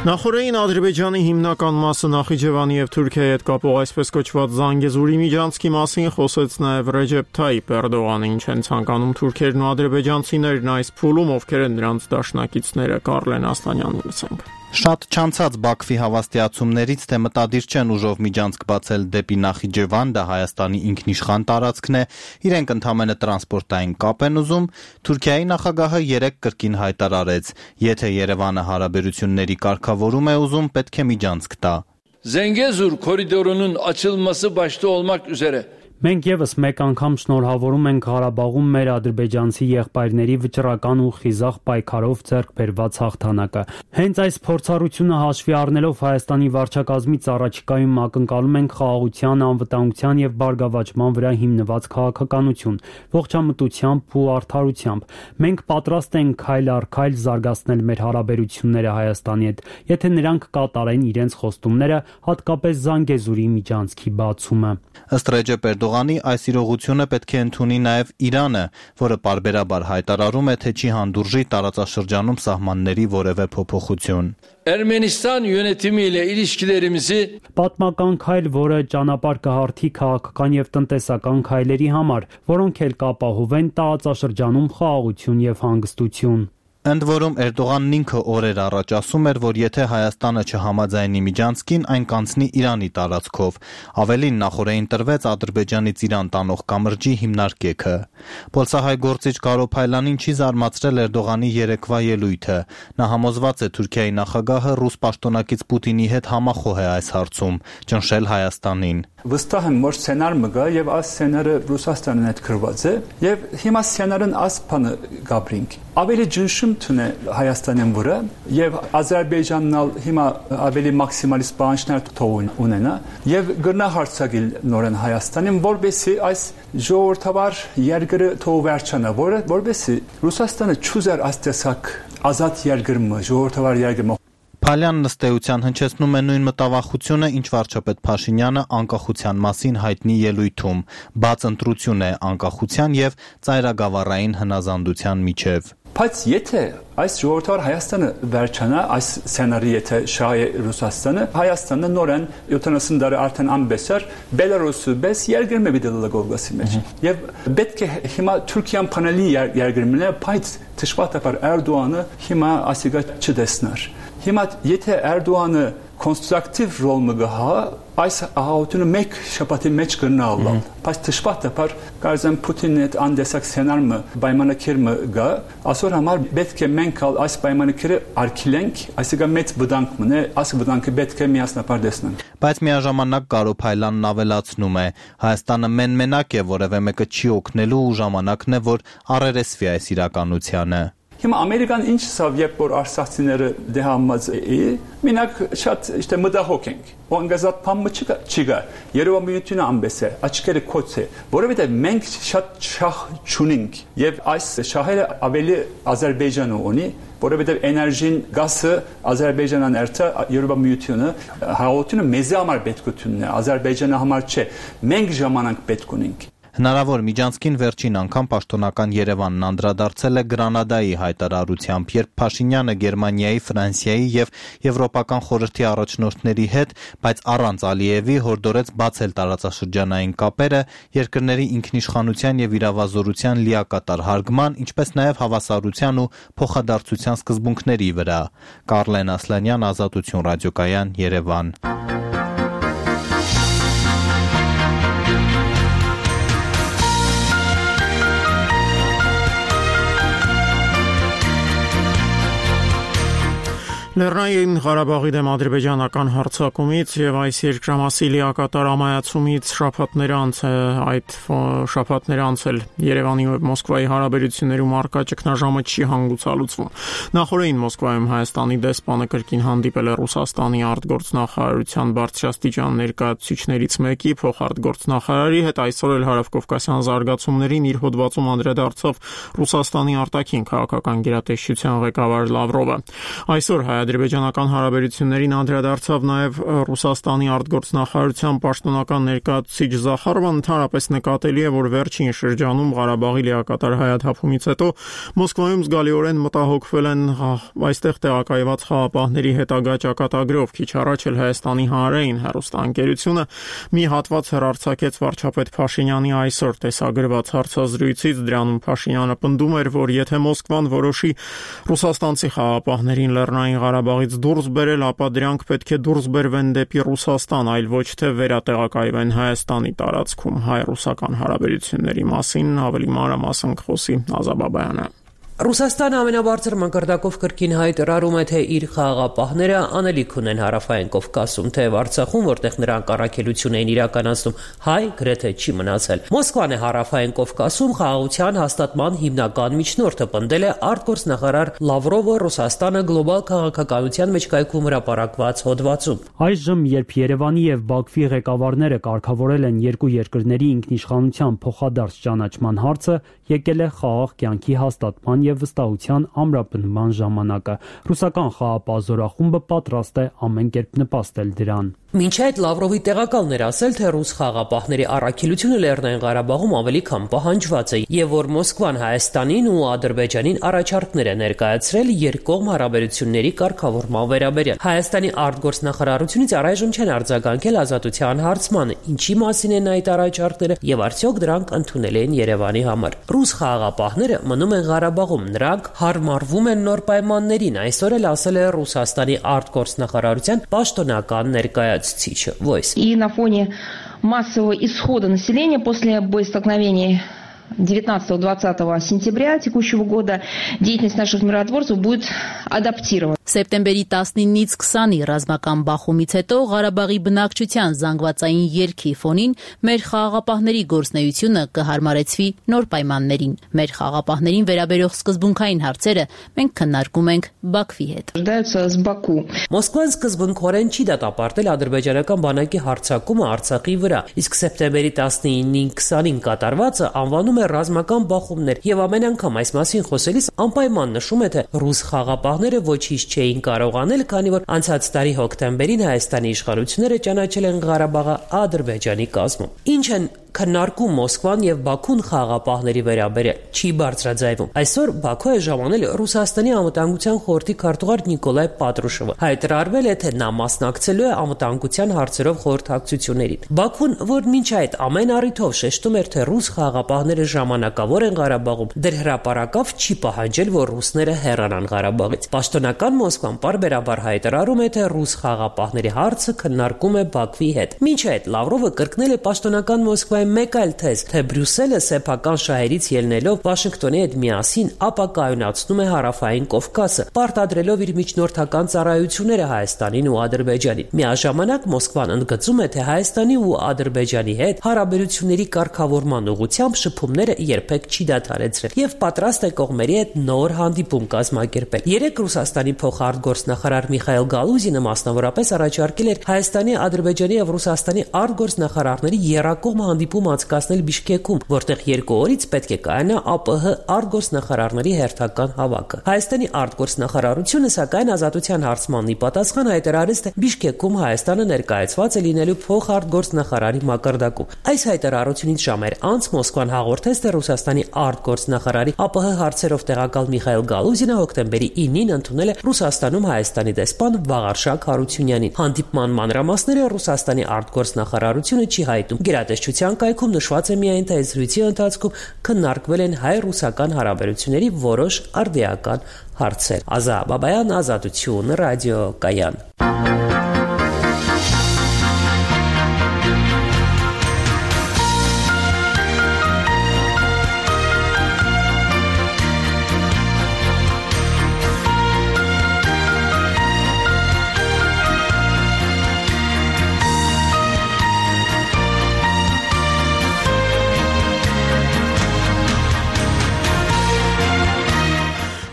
Նախորդին Ադրբեջանի հիմնական մասը Նախիջևանի եւ Թուրքիայի հետ կապող այսպես կոչված Զանգեզուրի միջանցքի մասին խոսեց նաեւ Ռեջեփ Թայիփ Էրդողանը, ինչ են ցանկանում թուրքերն ու ադրբեջանցիներն այս փուլում, ովքեր են նրանց դաշնակիցները։ Կարլեն Ասլանյանին լսենք։ Շատ չանցած Բաքվի հավաստիացումներից, թե մտադիր չեն ուժով միջանցք բացել դեպի Նախիջևան, դա Հայաստանի ինքնիշխան տարածքն է, իրենք ընդհանրապես տրանսպորտային կապ են ուզում, Թուրքիայի նախագահը 3 կրկին հայտարարեց, եթե Երևանը հարաբերությունների կարգավորում է ուզում, պետք է միջանցք տա։ Zengezur koridorunun açılması başta olmak üzere Մենք եւս մեկ անգամ շնորհավորում ենք Ղարաբաղում մեր ադրբեջանցի եղբայրների վճռական ու խիզախ պայքարով ձեռք բերված հաղթանակը։ Հենց այս փորձառությունը հաշվի առնելով Հայաստանի վարչակազմից առաջիկայում ակնկալում ենք խաղաղության, անվտանգության եւ բարգավաճման վրա հիմնված քաղաքականություն, ողջամտությամբ ու արդարությամբ։ Մենք պատրաստ ենք քայլ առ քայլ զարգացնել մեր հարաբերությունները Հայաստանի հետ, եթե նրանք կատարեն իրենց խոստումները, հատկապես Զանգեզուրի միջանցքի բացումը։ Ըստ Ռեջեփ Էրդողանի, այս իրողությունը պետք է ընդունի նաև Իրանը, որը պարբերաբար հայտարարում է, թե չի հանդուրժի տարածաշրջանում սահմանների որևէ փոփոխություն։ Ermenistan yönetimi ile ilişkilerimizi պատմական քայլ, որը ճանապարհ կհարթի քաղաքական եւ տնտեսական քայլերի համար, որոնք էլ կապահովեն տարածաշրջանում խաղաղություն եւ հանգստություն։ Ընդ որում Էրդողանն ինքը օրեր առաջ ասում էր, որ եթե Հայաստանը չհամաձայնի միջանցքին, այն կանցնի Իրանի տարածքով։ Ավելին նախորդին տրվեց Ադրբեջանից Իրան տանող կամրջի հիմնարկեքը։ Պոլսահայ գործիչ Կարո Փայլանին չի զարմացրել Էրդողանի երեկվա ելույթը։ Նա համոզված է Թուրքիայի նախագահը ռուս պաշտոնակից Պուտինի հետ համախոհ է այս հարցում, ճնշել Հայաստանին։ Վստահ եմ, որ սցենար մը գա եւ այս սցենարը Ռուսաստանն հետ գրված է եւ հիմա սցենարն այս բանը գաբրինք։ Ավելի ջնշում թունե Հայաստանին վրա եւ Ադրբեջանն հիմա ավելի մաքսիմալիստ պահանջներ թողուն ունենա եւ գրնա հարցակիլ նորեն Հայաստանին, որբեսի այս ժողովրդավար երկրը թող վերջանա, որբեսի Ռուսաստանը չուզեր այս տեսակ ազատ երկրը, ժողովրդավար երկրը։ Փալյանն ըստ էության հնչեցնում է նույն մտավախությունը, ինչ վարչապետ Փաշինյանը անկախության մասին հայտնի ելույթում, բաց ընտրություն է անկախության եւ ծայրագավառային հնազանդության միջև։ Բայց եթե այս ժողովրդավար Հայաստանը վերջանա, այս սցենարի եթե շահի Ռուսաստանը, Հայաստանը նորեն 70 տարի արդեն ամբեսար Բելարուսը բես երկրում է դիտել Կովկասի մեջ։ Եվ պետք է հիմա Թուրքիան փանելի երկրում է, բայց դժբախտաբար Էրդողանը հիմա ասիգա չտեսներ։ Հիմա եթե Էրդողանը կոնստրուկտիվ ռոլ մը գահա այս ահաությունը մեկ շփաթի մեջ կնալալ բայց դժբախտը բար կարծեմ Պուտինի հետ անդեսակ սցենարը պայմանագիրը գա ասոր համար պետք է մենք այս պայմանագիրը արգելենք այսինքն մեծ վտանգ մնե այս վտանգը պետք է միասնապար տեսնենք բայց միաժամանակ Գարո Փայլյանն ավելացնում է Հայաստանը մենակ է որևէ մեկը չի օգնելու ու ժամանակն է որ առերեսվի այս իրականությանը Հիմա Ամերիկան ինչ սավ երբ որ արսախցիները դեհամած է մենակ շատ işte մտահոգ ենք Անգազատ փամը չկա Երևանությունը ամբես է աչքերը կոց է որովհետև մենք շատ շահ չունենք եւ այս շահերը ավելի Ադրբեջանը ունի որովհետև էներգին գազը Ադրբեջանն երթա Երևանությունը հաղորդությունը մեզ համար պետքությունն է Ադրբեջանը համար չէ մենք ժամանակ պետք ունենք Հնարավոր միջանցքին վերջին անգամ պաշտոնական Երևանն անդրադարձել է Գրանադայի հայտարարությամբ, երբ Փաշինյանը Գերմանիայի, Ֆրանսիայի եւ Եվրոպական խորհրդի առաջնորդների հետ, բայց առանց Ալիևի հորդորեց բացել տարածաշրջանային կապերը երկրների ինքնիշխանության եւ իրավազորության լիակատար հարգման, ինչպես նաեւ հավասարության ու փոխադարձության սկզբունքների վրա։ Կարլեն Ասլանյան, Ազատություն ռադիոկայան, Երևան։ Լեռնային Ղարաբաղի դեմ ադրբեջանական հարձակումից եւ այս երկրամասի լիակատար ամայացումից շաբաթներ անցել Երևանի ու Մոսկվայի հարաբերություններում արկա ճգնաժամը չի հանգուցալուծվում։ Նախորդին Մոսկվայում Հայաստանի դեսպանը կրկին հանդիպել է Ռուսաստանի արտգործնախարարության բարձրաստիճան ներկայացուցիչներից մեկի փոխարտգործնախարարի հետ, այսօր էլ հարավկովկասյան զարգացումներին իր հոդվածում անդրադարձավ Ռուսաստանի արտաքին քաղաքական գերատեսչության ղեկավար Լավրովը։ Այսօր ադրբեջանական հարաբերություններին անդրադարձավ նաև Ռուսաստանի արտգործնախարարության պաշտոնական ներկայացուցիչ Զախարովան, ընդհանրապես նկատելի է, որ վերջին շրջանում Ղարաբաղի լիակատար հայաթափումից հետո Մոսկվայում զգալիորեն մտահոգվել են այստեղ տեղակայված խաղապահների հետագա ճակատագրով։ Քիչ առաջ էլ Հայաստանի հանրային հեռուստաընկերությունը մի հատված հեռարձակեց վարչապետ Փաշինյանի այսօր տեսագրված հարցազրույցից, դրանում Փաշինյանը պնդում էր, որ եթե Մոսկվան որոշի ռուսաստանցի խաղապահներին Լեռնային Ղարաբաղից դուրս բերել, ապա դրանք պետք է դուրս բերվեն դեպի Ռուսաստան, այլ ոչ թե վերատեղակայվեն Հայաստանի տարածքում։ Հայ-ռուսական հարաբերությունների մասին ավելի մանրամասն կխոսի Ազաբաբայանը։ Ռուսաստանը ամենաբարձր մակարդակով կրկին հայտարարում է, թե իր խաղաղապահները անելիք ունեն հարավային Կովկասում, թե Արցախում, որտեղ նրանք առաքելություն էին իրականացնում, հայ գրեթե չի մնացել։ Մոսկվան է հարավային Կովկասում խաղաղության հաստատման հիմնական միջնորդը, պնդել է արտգործնախարար Լավրովը Ռուսաստանը գլոբալ քաղաքականության մեջ կայքում հրապարակված հոդվածում։ Այժմ, երբ Երևանի եւ Բաքվի ղեկավարները կարգավորել են երկու երկրների ինքնիշխանության փոխադարձ ճանաչման հարցը, եկել է խաղաղ կյանքի հաստատման եւ վստահության ամրապնդման ժամանակը։ Ռուսական խաղապահ զորախումբը պատրաստ է ամեն կերպ նպաստել դրան։ Մինչ այդ Լավրովի տեղակալն էր ասել, թե ռուս խաղապահների առաքելությունը Լեռնային Ղարաբաղում ավելի քան պահանջված է եւ որ Մոսկվան Հայաստանին ու Ադրբեջանին առաջարկներ է ներկայացրել երկկողմ հարաբերությունների կարգավորման վերաբերյալ։ Հայաստանի արտգործնախարարությունից առայժմ չեն արձագանքել ազատության հարցմանը, ինչի մասին են այդ առաջարկները եւ արդյոք դրանք ընդունել են Երևանի համար։ Ռուս խաղապահները մնում են Ղարաբաղում, նրանք հարմարվում են նոր պայմաններին, այսօր էլ ասել է Ռուսաստանի արտգործնախարարության պաշտոնական ներկայացուցիչ Voice. И на фоне массового исхода населения после боестолкновений 19-20 сентября текущего года деятельность наших миротворцев будет адаптирована. Սեպտեմբերի 19-ից 20-ի ռազմական բախումից հետո Ղարաբաղի բնակչության զանգվածային երգի ֆոնին մեր խաղաղապահների գործունեությունը կհարմարեցվի նոր պայմաններին։ Մեր խաղաղապահներին վերաբերող սկզբունքային հարցերը մենք քննարկում ենք Բաքվի հետ։ Մոսկվան սկզբունքորեն չի դատապարտել ադրբեջանական բանակի հարձակումը Արցախի վրա, իսկ սեպտեմբերի 19-ին 20-ին կատարվածը անվանում է ռազմական բախումներ եւ ամեն անգամ այս մասին խոսելիս անպայման նշում է, թե ռուս խաղաղապահները ոչինչ չէին կարող անել, քանի որ անցած տարի հոկտեմբերին Հայաստանի իշխանությունները ճանաչել են Ղարաբաղը Ադրբեջանի կազմում։ Ինչ են քննարկում Մոսկվան եւ Բաքուն խաղաղապահների վերաբերյալ չի բարձրաձայվում։ Այսօր Բաքու է ժամանել Ռուսաստանի անվտանգության խորհրդի քարտուղար Նիկոլայ Պատրուշովը։ Հայտարարվել է, թե նա մասնակցելու է անվտանգության հարցերով խորհրդակցություններին։ Բաքուն, որ մինչ այդ ամեն առիթով շեշտում էր, թե ռուս խաղաղապահները ժամանակավոր են Ղարաբաղում, դեռ հրապարակավ չի պահանջել, որ ռուսները հեռանան Ղարաբաղից։ Պաշտոնական Մոսկվան պարբերաբար հայտարարում է, թե ռուս խաղաղապահների հարցը քննարկում է Բաքվի հետ։ Մինչ այդ Լավրովը կրկնել է պաշտոնական Մոսկվայի մեկ այլ թեզ, թե Բրյուսելը սեփական շահերից ելնելով Վաշինգտոնի հետ միասին ապակայունացնում է Հարավային Կովկասը, պարտադրելով իր միջնորդական ծառայությունները Հայաստանին ու Ադրբեջանին։ Միաժամանակ Մոսկվան ընդգծում է, թե Հայաստանի ու Ադրբեջանի հետ հարաբերությունների կարգավորման ուղղությամբ շփումները երբեք չի դադարեցրել եւ պատրաստ է կողմերի հետ նոր հանդիպում կազմակերպել։ Երեք Ռուսաստանի փոխարտգործնախարար Միխայել Գալուզինը մասնավորապես առաջարկել էր Հայաստանի, Ադրբեջանի եւ Ռուսաստանի արտգործնախարարների եռակողմ հանդիպում անցկացնել Բիշկեկում, որտեղ 2 օրից պետք է կայանա ԱՊՀ արտգործնախարարների հերթական հավաքը։ Հայաստանի արտգործնախարարությունը սակայն ազատության հարցմանն ի պատասխան հայտարարեց, թե Բիշկեկում Հայաստանը ներկայացված է լինելու փոխարտգործնախարարի մակարդակում։ Այս հայտարարությունից ժամեր անց Մոսկվան հաղորդեց, թե Ռուսաստանի արտգործնախարարի ԱՊՀ հարցերով տեղակալ Միխայել Գալուզինը հոկտեմբերի 9-ին ընդունել է Ռուսաստանում Հայաստանի դեսպան Վաղարշակ Հարությունյանին։ Հանդիպման մանրամասները Ռուսաստանի արտգործնախարարությունը չի հայտում։ Գերատեսչության կայքում նշված է միայն, թե զրույցի ընթացքում քննարկվել են հայ-ռուսական հարաբերությունների որոշ արդիական հարցեր։ Ազա Բաբայան, Ազատություն, ռադիո Կայան։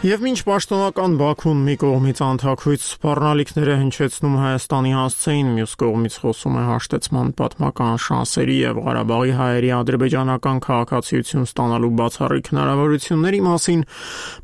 Եվ մինչ պաշտոնական Բաքուն մի կողմից անթաքույց սպառնալիքները հնչեցնում Հայաստանի հասցեին, մյուս կողմից խոսում է հաշտեցման պատմական շանսերի եւ Ղարաբաղի հայերի ադրբեջանական քաղաքացիություն ստանալու բացառիկ հնարավորությունների մասին,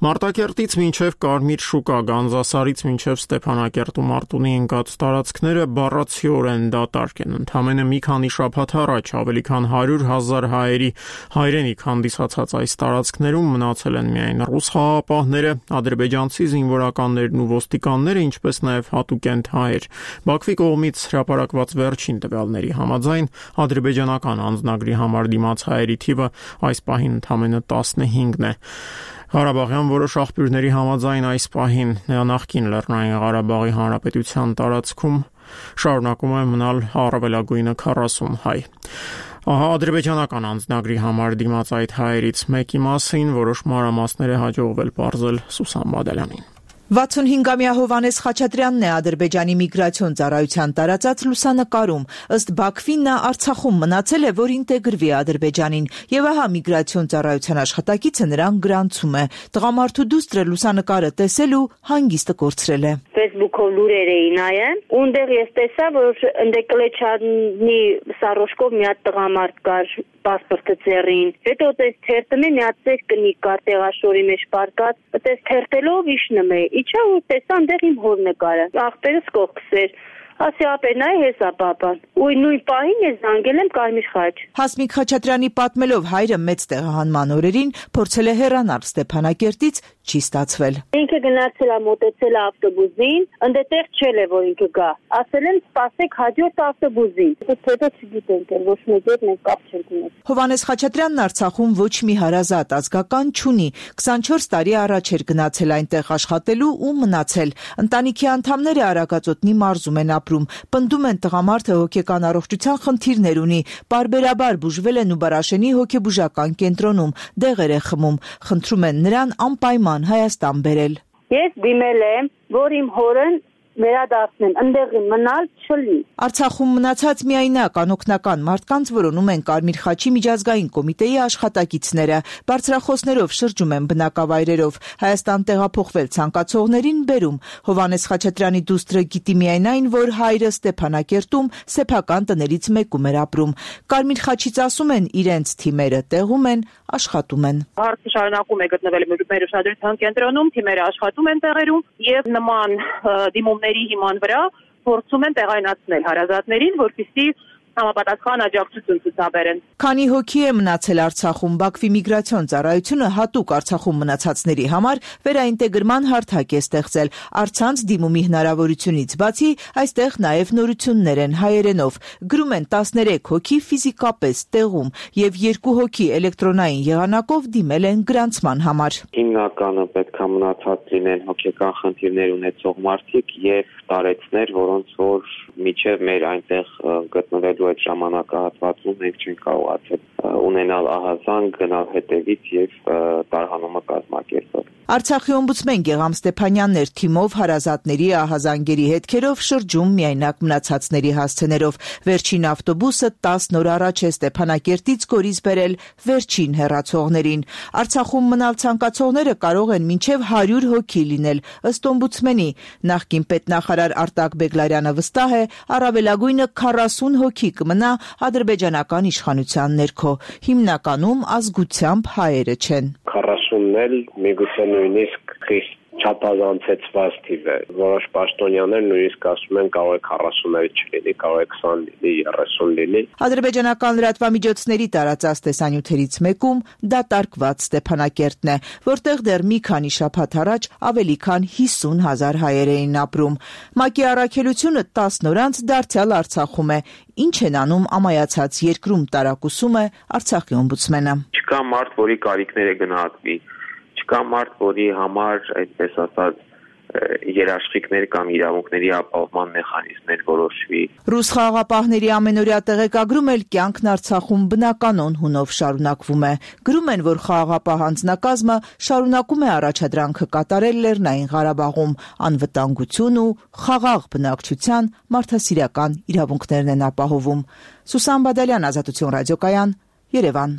Մարտակերտից մինչև Կարմիր շուկա, Գանձասարից մինչև Ստեփանակերտում Արտունի ընկած տարածքները բառացիորեն դատարկ են։ Ընդամենը մի քանի շաբաթ առաջ ավելի քան 100,000 հայերի հայրենիք հանդիսացած այս տարածքներում մնացել են միայն ռուս խաղաղապահները, ադրբեջանցի զինվորականներն ու ոստիկանները, ինչպես նաև հատուկենտ հայեր։ Բաքվի կողմից հրապարակված վերջին տվյալների համաձայն ադրբեջանական անձնագրի համար դիմաց հայերի թիվը այս պահին ընդամենը 15 է։ Ղարաբաղյան որոշ աղբյուրների համաձայն այս պահին նախկին Լեռնային Ղարաբաղի Հանրապետության տարածքում շարունակում է մնալ առավելագույնը 40 հայ։ Ադրբեջանական անձնագրի համար դիմաց այդ հայերից մեկի մասին որոշ մանրամասներ է հաջողվել պարզել Սուսան Բադալյանին։ 65-ամյա Հովհաննես Խաչատրյանն է Ադրբեջանի միգրացիոն ծառայության տարածած լուսանկարում։ Ըստ Բաքվին նա Արցախում մնացել է, որ ինտեգրվի Ադրբեջանին, եւ ահա միգրացիոն ծառայության աշխատակիցը նրան գրանցում է։ Տղամարդու դուստրը լուսանկարը տեսել ու հանգիստը կորցրել է։ Facebook-ով լուրեր էի նայել, ունդեղ ես տեսա, որ ընդ Կլեչանի Սարոշկով մի հատ տղամարդ կար պասպորտը ծերին։ Հետո տես թերթում է մի հատ ծեր կնիկ կար տեղաշորի մեջ պարկած, տես թերթելով իշնում է։ Իչա ու տեսա այնտեղ իմ հոր նկարը։ Աղբերս կողքս էր։ Ասի ապենայ հեսա պապան։ Ու նույն պահին ես զանգել եմ Կարմիր խաչ։ Հասմիկ Խաչատրյանի պատմելով հայրը մեծ տեղահանման օրերին փորձել է հեռանալ Ստեփանակերտից, չի ստացվել։ Ինքը գնացել է մոտեցել ավտոբուսին, ընդդեղ չել է որ ինքը գա։ Ասել են սպասեք հաջորդ ավտոբուսին։ Հետո չգիտենք, ոչ մեկ հետ մենք կապ չենք ունեցել։ Հովհաննես Խաչատրյանն Արցախում ոչ մի հարազատ ազգական չունի։ 24 տարի առաջ էր գնացել այնտեղ աշխատելու ու մնացել։ Ընտանիքի անդամները Արագածոտնի մարզում են Պնդում են տղամարդը հոգեկան առողջության խնդիրներ ունի, պարբերաբար բուժվել են Նուբարաշենի հոգեբուժական կենտրոնում, դեղեր է խմում, խնդրում են նրան անպայման Հայաստան բերել։ Ես դիմել եմ, որ իմ հորն վերադարձնեն, ընդեղ մնալ չլի։ Արցախում մնացած միայնակ անօգնական մարդկանց որոնում են Կարմիր խաչի միջազգային կոմիտեի աշխատակիցները, բարձրախոսներով շրջում են բնակավայրերով, Հայաստան տեղափոխվել ցանկացողներին բերում։ Հովհաննես Խաչատրյանի դուստրը գիտի միայն այն, որ հայրը Ստեփանակերտում սեփական տներից մեկում էր ապրում։ Կարմիր խաչից ասում են, իրենց թիմերը տեղում են, աշխատում են։ Հարցը շարունակում է գտնվել մեր ուշադրության կենտրոնում, թիմերը աշխատում են տեղերում եւ նման դիմումների հիման վրա փորձում են տեղայնացնել հարազատներին, որպեսզի համապատասխան աջակցություն ցուցաբերեն։ Քանի հոգի է մնացել Արցախում, Բաքվի միգրացիոն ծառայությունը հատուկ Արցախում մնացածների համար վերաինտեգրման հարթակ է ստեղծել։ Առցանց դիմումի հնարավորությունից բացի այստեղ նաև նորություններ են հայերենով։ Գրում են 13 հոգի ֆիզիկապես տեղում եւ 2 հոգի էլեկտրոնային եղանակով դիմել են գրանցման համար։ Հիմնականը պետք է մնացած լինեն հոգեկան խնդիրներ ունեցող մարդիկ եւ տարեցներ, որոնց որ միջև մեր այնտեղ գտնվելու այդ ժամանակահատվածում մենք չենք կարողացել ունենալ ահազանգ, գնալ հետևից եւ տարհանումը կազմակերպել։ Արցախի օմբուդսմեն Գեգամ Ստեփանյանն էր թիմով հարազատների ահազանգերի հետքերով շրջում միայնակ մնացածների հասցեներով։ Վերջին ավտոբուսը 10 օր առաջ է Ստեփանակերտից Գորիս բերել վերջին հեռացողներին։ Արցախում մնալ ցանկացողները կարող են մինչև 100 հոգի լինել, ըստ օմբուդսմենի։ Նախկին պետնախարար Արտակ Բեգլարյանը վստահ է, առավելագույնը 40 հոգի կմնա ադրբեջանական իշխանության ներքո։ Հիմնականում ազգությամբ հայերը չեն։ 40-ն էլ միգուցե նույնիսկ խիստ չափազանցեցված թիվ է։ Որոշ պաշտոնյաներ նույնիսկ ասում են կարող է 40-ը չլինի, կարող է 20 լինի, 30 լինի։ Ադրբեջանական լրատվամիջոցների տարածած տեսանյութերից մեկում դատարկված Ստեփանակերտն է, որտեղ դեռ մի քանի շաբաթ առաջ ավելի քան 50,000 հայեր էին ապրում։ ՄԱԿ-ի առաքելությունը 10 օր անց դարձյալ Արցախում է։ Ինչ են անում ամայացած երկրում տարակուսում է Արցախի օմբուդսմենը։ Չկա մարդ, որի կարիքները գնահատվի, չկա մարդ, որի համար, այդպես ասած, երաշխիքներ կամ իրավունքների ապահովման մեխանիզմներ որոշվի։ Ռուս խաղաղապահների ամենօրյա տեղեկագրում էլ կյանքն Արցախում բնականon հունով շարունակվում է։ Գրում են, որ խաղաղապահ անձնակազմը շարունակում է առաջադրանքը կատարել Լեռնային Ղարաբաղում, անվտանգություն ու խաղաղ բնակչության մարդասիրական իրավունքներն են ապահովում։ Սուսան Բադալյան, Ազատություն ռադիոկայան, Երևան։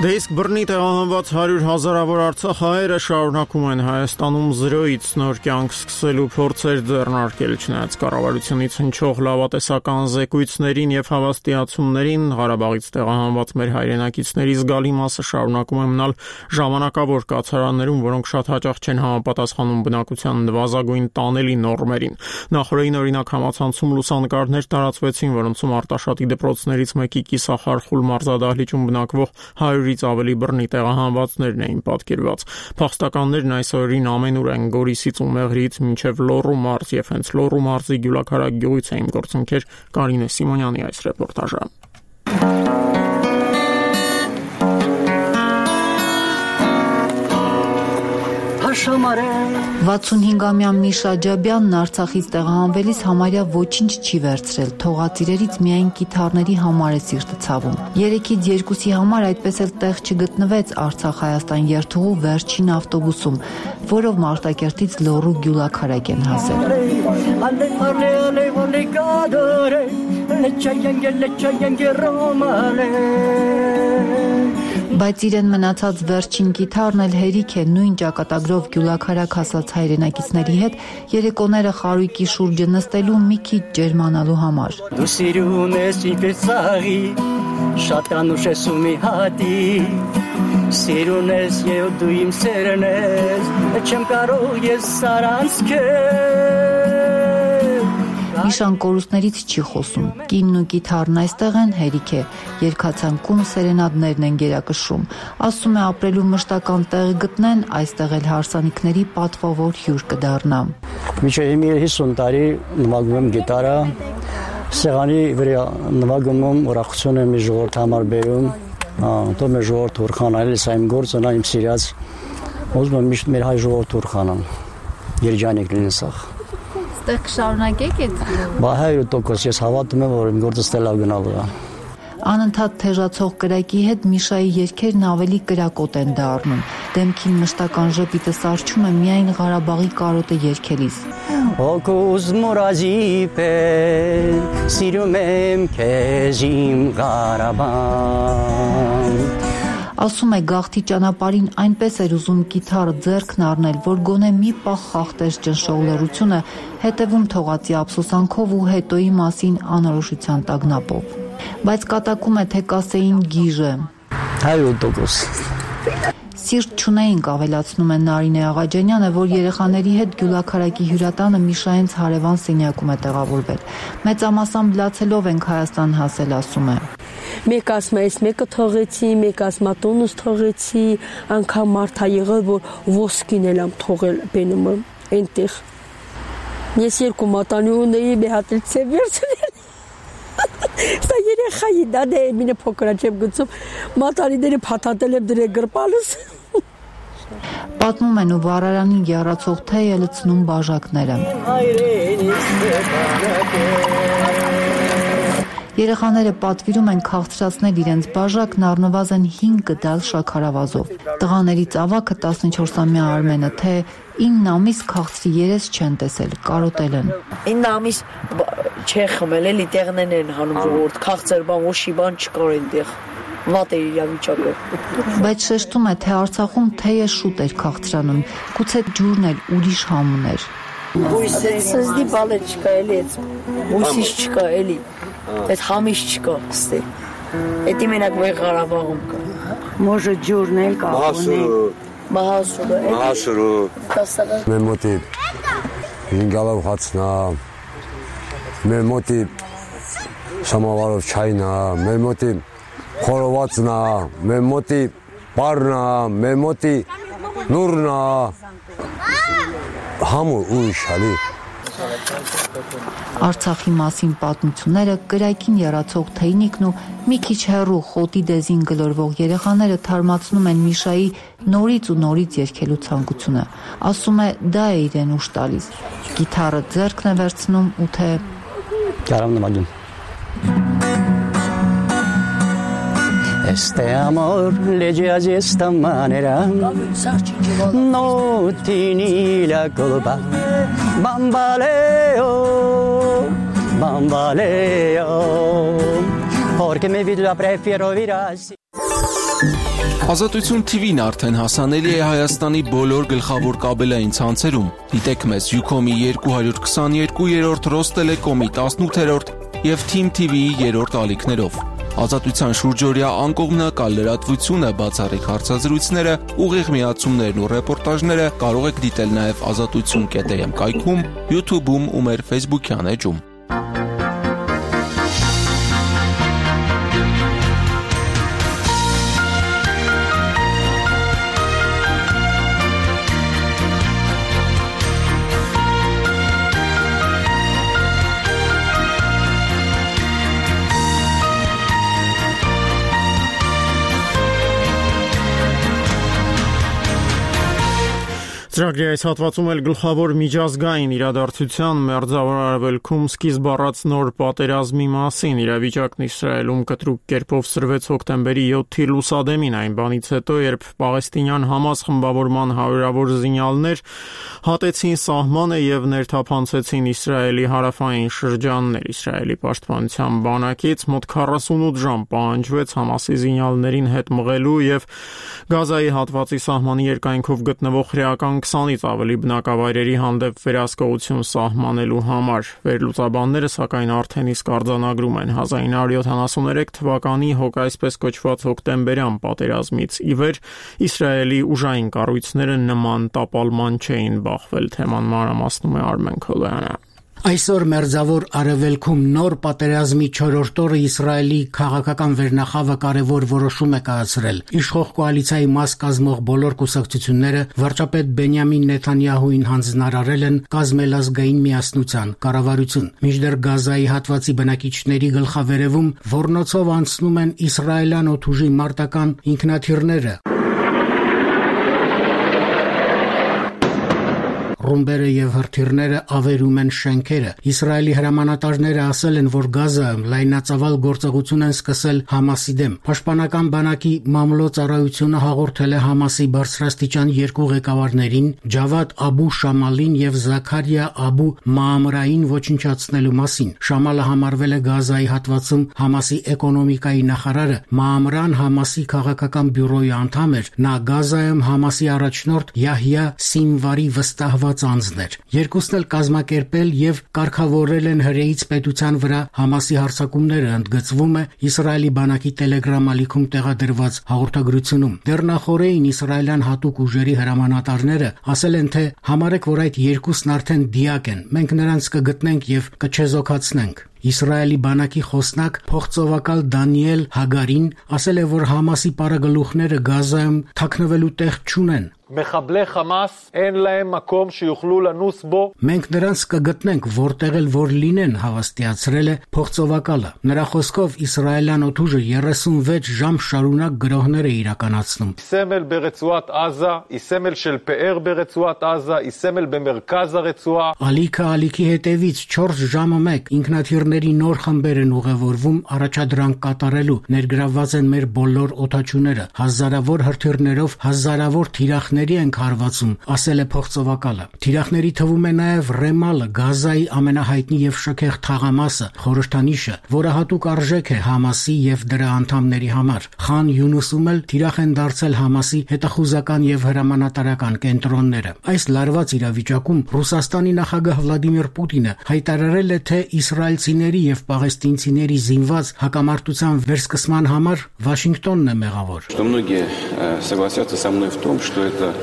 Դե իսկ բռնի տեղահանված 100,000-ավոր արցախահայերը շարունակում են Հայաստանում 0-ից նոր կյանք սկսելու փորձեր ձեռնարկել, չնայած կառավարությունից հնչող լավատեսական զեկույցներին եւ հավաստիացումներին, Ղարաբաղից տեղահանված մեր հայրենակիցների զգալի մասը շարունակում է մնալ ժամանակավոր կացարաններում, որոնք շատ հաճախ չեն համապատասխանում բնակության նվազագույն տանելի նորմերին։ Նախորդին օրինակ համացանցում լուսանկարներ տարածվեցին, որոնցում Արտաշատի դպրոցներից մեկի կիսախարխուլ մարզադահլիճում բնակվող 100-ից ավելի բռնի տեղահանվածներն էին պատկերված։ Փախստականներն այս օրերին ամենուր են Գորիսից ու Մեղրիից մինչև Լոռու մարզ եւ հենց Լոռու մարզի Գյուլաքարակ գյուղից էին գործընկեր Կարինե Սիմոնյանի այս ռեպորտաժը։ 65-ամյա Միշա Ջաբյանն Արցախից տեղահանվելիս համարյա ոչինչ չի վերցրել, թողածիրերից միայն կիթառների համար է սիրտը ցավում։ 3-ից 2-ի համար այդպես էլ տեղ չգտնվեց Արցախ-Հայաստան երթուղու վերջին ավտոբուսում, որով Մարտակերտից Լոռու Գյուլաքարակ են հասել։ Բայց իրեն մնացած վերջին կիթառն էլ հերիք է նույն ճակատագրով Գյուլաքարակ հասած հայրենակիցների հետ երեկոները խարույկի շուրջը նստելու մի քիչ ջերմանալու համար։ Դու սիրուն ես ինքս ծաղի, շատ անուշ ես ու մի հատի, սիրուն ես և դու իմ սերն ես, չեմ կարող ես սարանց քեզ։ Միշան կորուստներից չի խոսում, կինն ու կիթառն այստեղ են, հերիք է, երգացանկում սերենադներն են գերակշռում, ասում է ապրելու մշտական տեղ գտնեն, այստեղ էլ հարսանիքների պատվավոր հյուր կդառնամ։ Մինչև 50 տարի նվագում եմ գիտարը, սեղանի վրա նվագում եմ, ուրախություն եմ ժողովրդ համար բերում, թող մեր ժողովուրդ ուրախանալ, սա իմ գործն է, իմ սիրած, ուզում եմ միշտ մեր հայ ժողովուրդ ուրախանան, երջանիկ լինեն սաղ։ Ստեղ կշարունակեք այդ։ Բա 100% ես հավատում եմ, որ իմ գործը ստելավ գնալու է։ Անընդհատ թեժացող կրակի հետ Միշայի երգերն ավելի կրակոտ են դառնում։ Դեմքին մշտական ժպիտը սարչում է միայն Ղարաբաղի կարոտը երգելիս։ Օկուզ մուրազի պես սիրում եմ քեզ իմ Ղարաբաղ։ Ասում է գաղթի ճանապարհին այնպես էր ուզում կիթառը ձեռքն առնել, որ գոնե մի պահ խախտեր ճնշող լռությունը, հետևում թողածի ափսոսանքով ու հետոյի մասին անորոշության տագնապով։ Բայց կատակում է, թե կասեին գիժը։ 100%։ Սիրտ չունեինք, ավելացնում է Նարինե Աղաջանյանը, որ երեխաների հետ Գյուլաքարակի հյուրատանը Միշայենց հարևան սենյակում է տեղավորվել։ Մեծամասամբ լացելով ենք Հայաստան հասել, ասում է։ Մեկ ասում է, այս մեկը թողեցի, մեկ ասում է տոնուս թողեցի, անգամ մարդ ա եղել, որ ոսկին էլ ամ թողել բենումը այնտեղ։ Ես երկու մատանի ունեի, մի հատ էլ ցև վերցնել։ Սա երեխայի դա դե մինը փոքր չեմ գցում, մատանիները փաթաթել եմ դրե գրպալս։ Պատմում են ու վառարանին գեռացող թեյը լցնում բաժակները։ Երեխաները պատվիրում են քաղցրացնել իրենց բաժակն առնվազն 5 գդալ շաքարավազով։ Տղաներից ավագը 14-ամյա Արմենը թե 9 ամիս քաղցրի երես չեն տեսել, կարոտել են։ 9 ամիս չէ խմել, էլի տեղներն են հանում ժողովուրդ, քաղցր բան, ոչի բան չկար այնտեղ։ Վատ էր իրավիճակը։ Բայց շեշտում է, թե Արցախում թեյը շուտ էր քաղցրանում, գուցե ջուրն էլ ուրիշ համ ուներ։ Սզդի բալը չկա էլի, բույսից չկա էլի, այդ համից չկա, ստե։ Էդի մենակ մեր Ղարաբաղում կա։ Մոժը ջուրն էլ կա։ Մահասուրը։ Մեր մոտի 5 գալով հացն է, մեր մոտի շամավարով չայն է, մեր մոտի խորովածն է, մեր մոտի պարն է, մեր մոտի նուրն է, համուր ուրիշ հալի։ Արցախի մասին պատմությունները, կրակին եռացող թեյնիկն ու մի քիչ հեռու խոտի դեզին գլորվող երեխաները թարմացնում են Միշայի նորից ու նորից երգելու ցանկությունը։ Ասում է, դա է իրեն ուշ տալիս։ Գիթառը ձեռքն է վերցնում ու թե Կարամ նամագին։ Este amor le giace esta manera, no tieni la colpa, bambaleo, bambaleo, porque mi vida prefiero ir así. Ազատություն TV-ն արդեն հասանելի է Հայաստանի բոլոր գլխավոր կաբելային ցանցերում։ Դիտեք մեզ Ucom-ի 222-րդ, Ռոստելեկոմի 18-րդ և Team TV-ի 3-րդ ալիքներով։ Ազատության շուրջօրյա անկողմնակալ լրատվությունը, բացառիկ հարցազրույցները, ուղիղ միացումներն ու ռեպորտաժները կարող եք դիտել նաև azatutsun.am կայքում, YouTube-ում ու մեր Facebook-յան էջում։ Ծրագրի այս հատվածում էլ գլխավոր միջազգային իրադարձության Մերձավոր Արևելքում սկիզբ առած նոր պատերազմի մասին իրավիճակն Իսրայելում կտրուկ կերպով սրվեց հոկտեմբերի 7-ի լուսադեմին, այն բանից հետո, երբ պաղեստինյան Համաս խմբավորման հարյուրավոր զինյալներ հատեցին սահմանը եւ ներթափանցեցին Իսրայելի հարավային շրջաններ։ Իսրայելի պաշտպանության բանակից մոտ 48 ժամ պահանջվեց Համասի զինյալներին հետ մղելու եւ Գազայի հատվածի սահմանի երկայնքով գտնվող հրեական 20-ից ավելի բնակավայրերի հանդեպ վերահսկողություն սահմանելու համար։ Վերլուծաբանները սակայն արդեն իսկ արձանագրում են 1973 թվականի այսպես կոչված հոկտեմբերյան պատերազմից ի վեր Իսրայելի ուժային կառույցները նման տապալման չէին բախվել։ Թեման մանրամասնում է Արմեն Քոլոյանը։ Այսօր Մերձավոր Արևելքում նոր պատերազմի 4-րդ օրը Իսրայելի քաղաքական վերնախավը կարևոր որոշում է կայացրել։ Իշխող կոալիցիայի մաս կազմող բոլոր կուսակցությունները վարչապետ Բենյամին Նեթանյահուին հանձնարարել են կազմել ազգային միասնության կառավարություն։ Մինչդեռ Գազայի հատվածի բնակիչների գլխավերևում ոռնոցով անցնում են իսրայելյան օդուժի մարտական ինքնաթիռները։ ռումբերը եւ հրթիռները ավերում են շենքերը։ Իսրայելի հրամանատարները ասել են, որ Գազայում լայնածավալ գործողություն են սկսել Համասի դեմ։ Պաշտպանական բանակի մամլոյցարայությունը հաղորդել է Համասի բարձրաստիճան երկու ղեկավարներին՝ Ջավադ Աբու Շամալին եւ Զաքարիա Աբու Մաամրային ոչնչացնելու մասին։ Շամալը համարվել է Գազայի հատվածում Համասի էկոնոմիկայի նախարարը, Մաամրան Համասի քաղաքական բյուրոյի անդամ էր։ Նա Գազայում Համասի առաջնորդ Յահյա Սինվարի վստահված անձն էր։ Երկուսն էլ կազմակերպել եւ կարգավորել են հրեից պետության վրա Համասի հարձակումները, ընդգծվում է Իսրայելի բանակի Telegram ալիքում տեղադրված հաղորդագրությունում։ Դեռ նախորդին իսրայելյան հատուկ ուժերի հրամանատարները ասել են, թե համարեք, որ այդ երկուսն արդեն դիակ են, մենք նրանց կգտնենք եւ կչեզոքացնենք։ Իսրայելի բանակի խոսնակ փոխծովակալ Դանիել Հագարին ասել է, որ Համասի պարագլուխները Գազայում թաքնվելու տեղ չունեն։ Մենք նրանց կգտնենք որտեղ էլ որ լինեն, հավաստիացրել է փոխծովակալը։ Նրա խոսքով իսրայելյան օդուժը 36 ժամ շարունակ գրոհներ է իրականացնում։ Ալիքը ալիքի հետևից 4 ժամը մեկ ինքնաթիռների նոր խմբեր են ուղևորվում առաջադրանք կատարելու, ներգրավված են մեր բոլոր օդաչուները, հազարավոր հրթիռներով, հազարավոր թիրախների ենք հարվածում, ասել է փոխծովակալը։ Թիրախների թվում է նաև Ռեմալը, Գազայի ամենահայտնի եւ շքեղ թաղամասը, խորհրդանիշը, որը հատուկ արժեք է Համասի եւ դրա անդամների համար։ Խան Յունուսում էլ թիրախ են դարձել Համասի հետախուզական եւ հրամանատարական կենտրոնները։ Այս լարված իրավիճակում Ռուսաստանի նախագահ Վլադիմիր Պուտինը հայտարարել է, թե իսրայելցիների եւ պաղեստինցիների զինված հակամարտության վերսկսման համար Վաշինգտոնն է մեղավոր։ Многие согласятся со мной в том, что это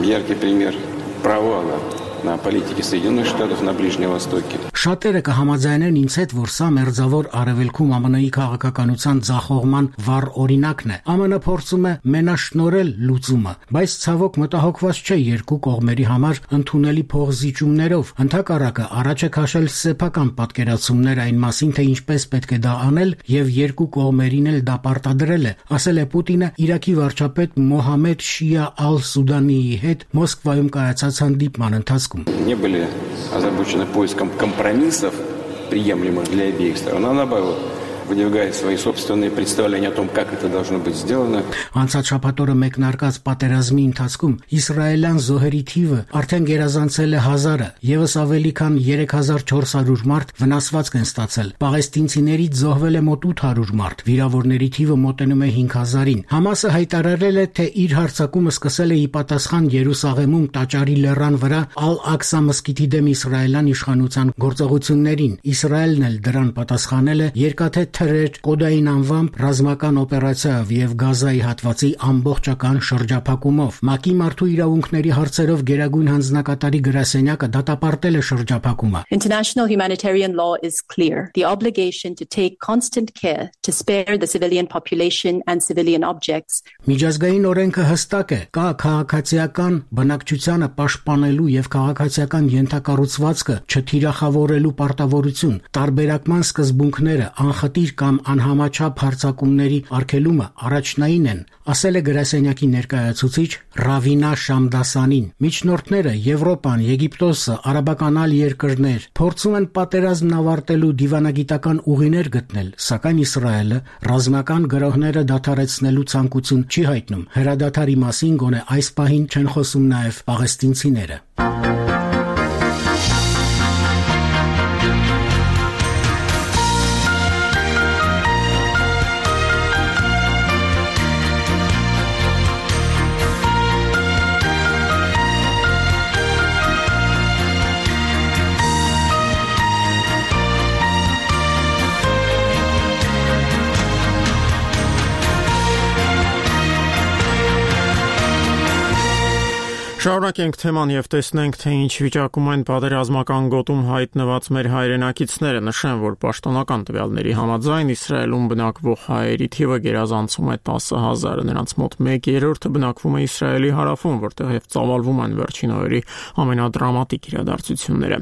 яркий пример провала на политике Соединенных Штатов на Ближнем Востоке. Շատերը կհամաձայնեն ինձ հետ, որ սա մերձավոր արևելքում ԱՄՆ-ի քաղաքականության ձախողման վառ օրինակն է։ ԱՄՆ փորձում է մենաշնորհել լուծումը, բայց ցավոք մտահոգված չէ երկու կողմերի համար ընդունելի փոխզիջումներով։ Ընդհակառակը առաջ է քաշել սեփական պատկերացումներ այն մասին, թե ինչպես պետք է դա անել, եւ երկու կողմերին էլ դա պարտադրել է, ասել է Պուտինը Իրաքի վարչապետ Մոհամեդ Շիա Ալ-Սուդանիի հետ Մոսկվայում կայացած հանդիպման ընթացքում։ Не были озабочены поиском компромиссов, приемлемых для обеих сторон, а наоборот, выдвигает свои собственные представления о том, как это должно быть сделано. Անցած շաբաթօրը մեկնարկած պատերազմի ընթացքում իսրայելյան զոհերի թիվը արդեն գերազանցել է 1000-ը, եւս ավելի քան 3400 մարդ վնասվածք են ստացել։ Պաղեստինցիներից զոհվել է մոտ 800 մարդ, վիրավորների թիվը մոտենում է 5000-ին։ Համասը հայտարարել է, թե իր հարձակումը սկսել է ի պատասխան Երուսաղեմում Տաճարի լեռան վրա Ալ-Ակսա մզկիթի դեմ իսրայելյան իշխանության գործողություններին։ Իսրայելն էլ դրան պատասխանել է երկաթե թրեր կոդային անվամբ ռազմական օպերացիայով եւ Գազայի հատվածի ամբողջական շրջափակումով։ ՄԱԿ-ի մարդու իրավունքների հարցերով գերագույն հանձնակատարի գրասենյակը դատապարտել է շրջափակումը։ International humanitarian law is clear. The obligation to take constant care to spare the civilian population and civilian objects. Միջազգային օրենքը հստակ է, կա քաղաքացիական բնակչությանը պաշտպանելու եւ քաղաքացիական ենթակառուցվածքը չթիրախավորելու պարտավորություն, տարբերակման սկզբունքները, անխտիր կամ անհամաչափ հարձակումների արգելումը առաջնային են, ասել է գրասենյակի ներկայացուցիչ Ռավինա Շամդասանին։ Միջնորդները Եվրոպան, Եգիպտոսը, արաբական այլ երկրներ փորձում են պատերազմն ավարտելու դիվանագիտական ուղիներ գտնել, սակայն Իսրայելը ռազմական գրոհները դադարեցնելու ցանկություն չի հայտնում։ Հրադադարի մասին գոնե այս պահին չեն խոսում նաև պաղեստինցիները։ Շարունակենք թեման եւ տեսնենք, թե ինչ վիճակում են պատերազմական գոտում հայտնված մեր հայրենակիցները։ Նշեմ, որ պաշտոնական տվյալների համաձայն Իսրայելում բնակվող հայերի թիվը գերազանցում է 10000-ը, նրանց մոտ 1/3-ը բնակվում է Իսրայելի հարավում, որտեղ եւ ծավալվում են վերջին օրերի ամենադրամատիկ իրադարձությունները։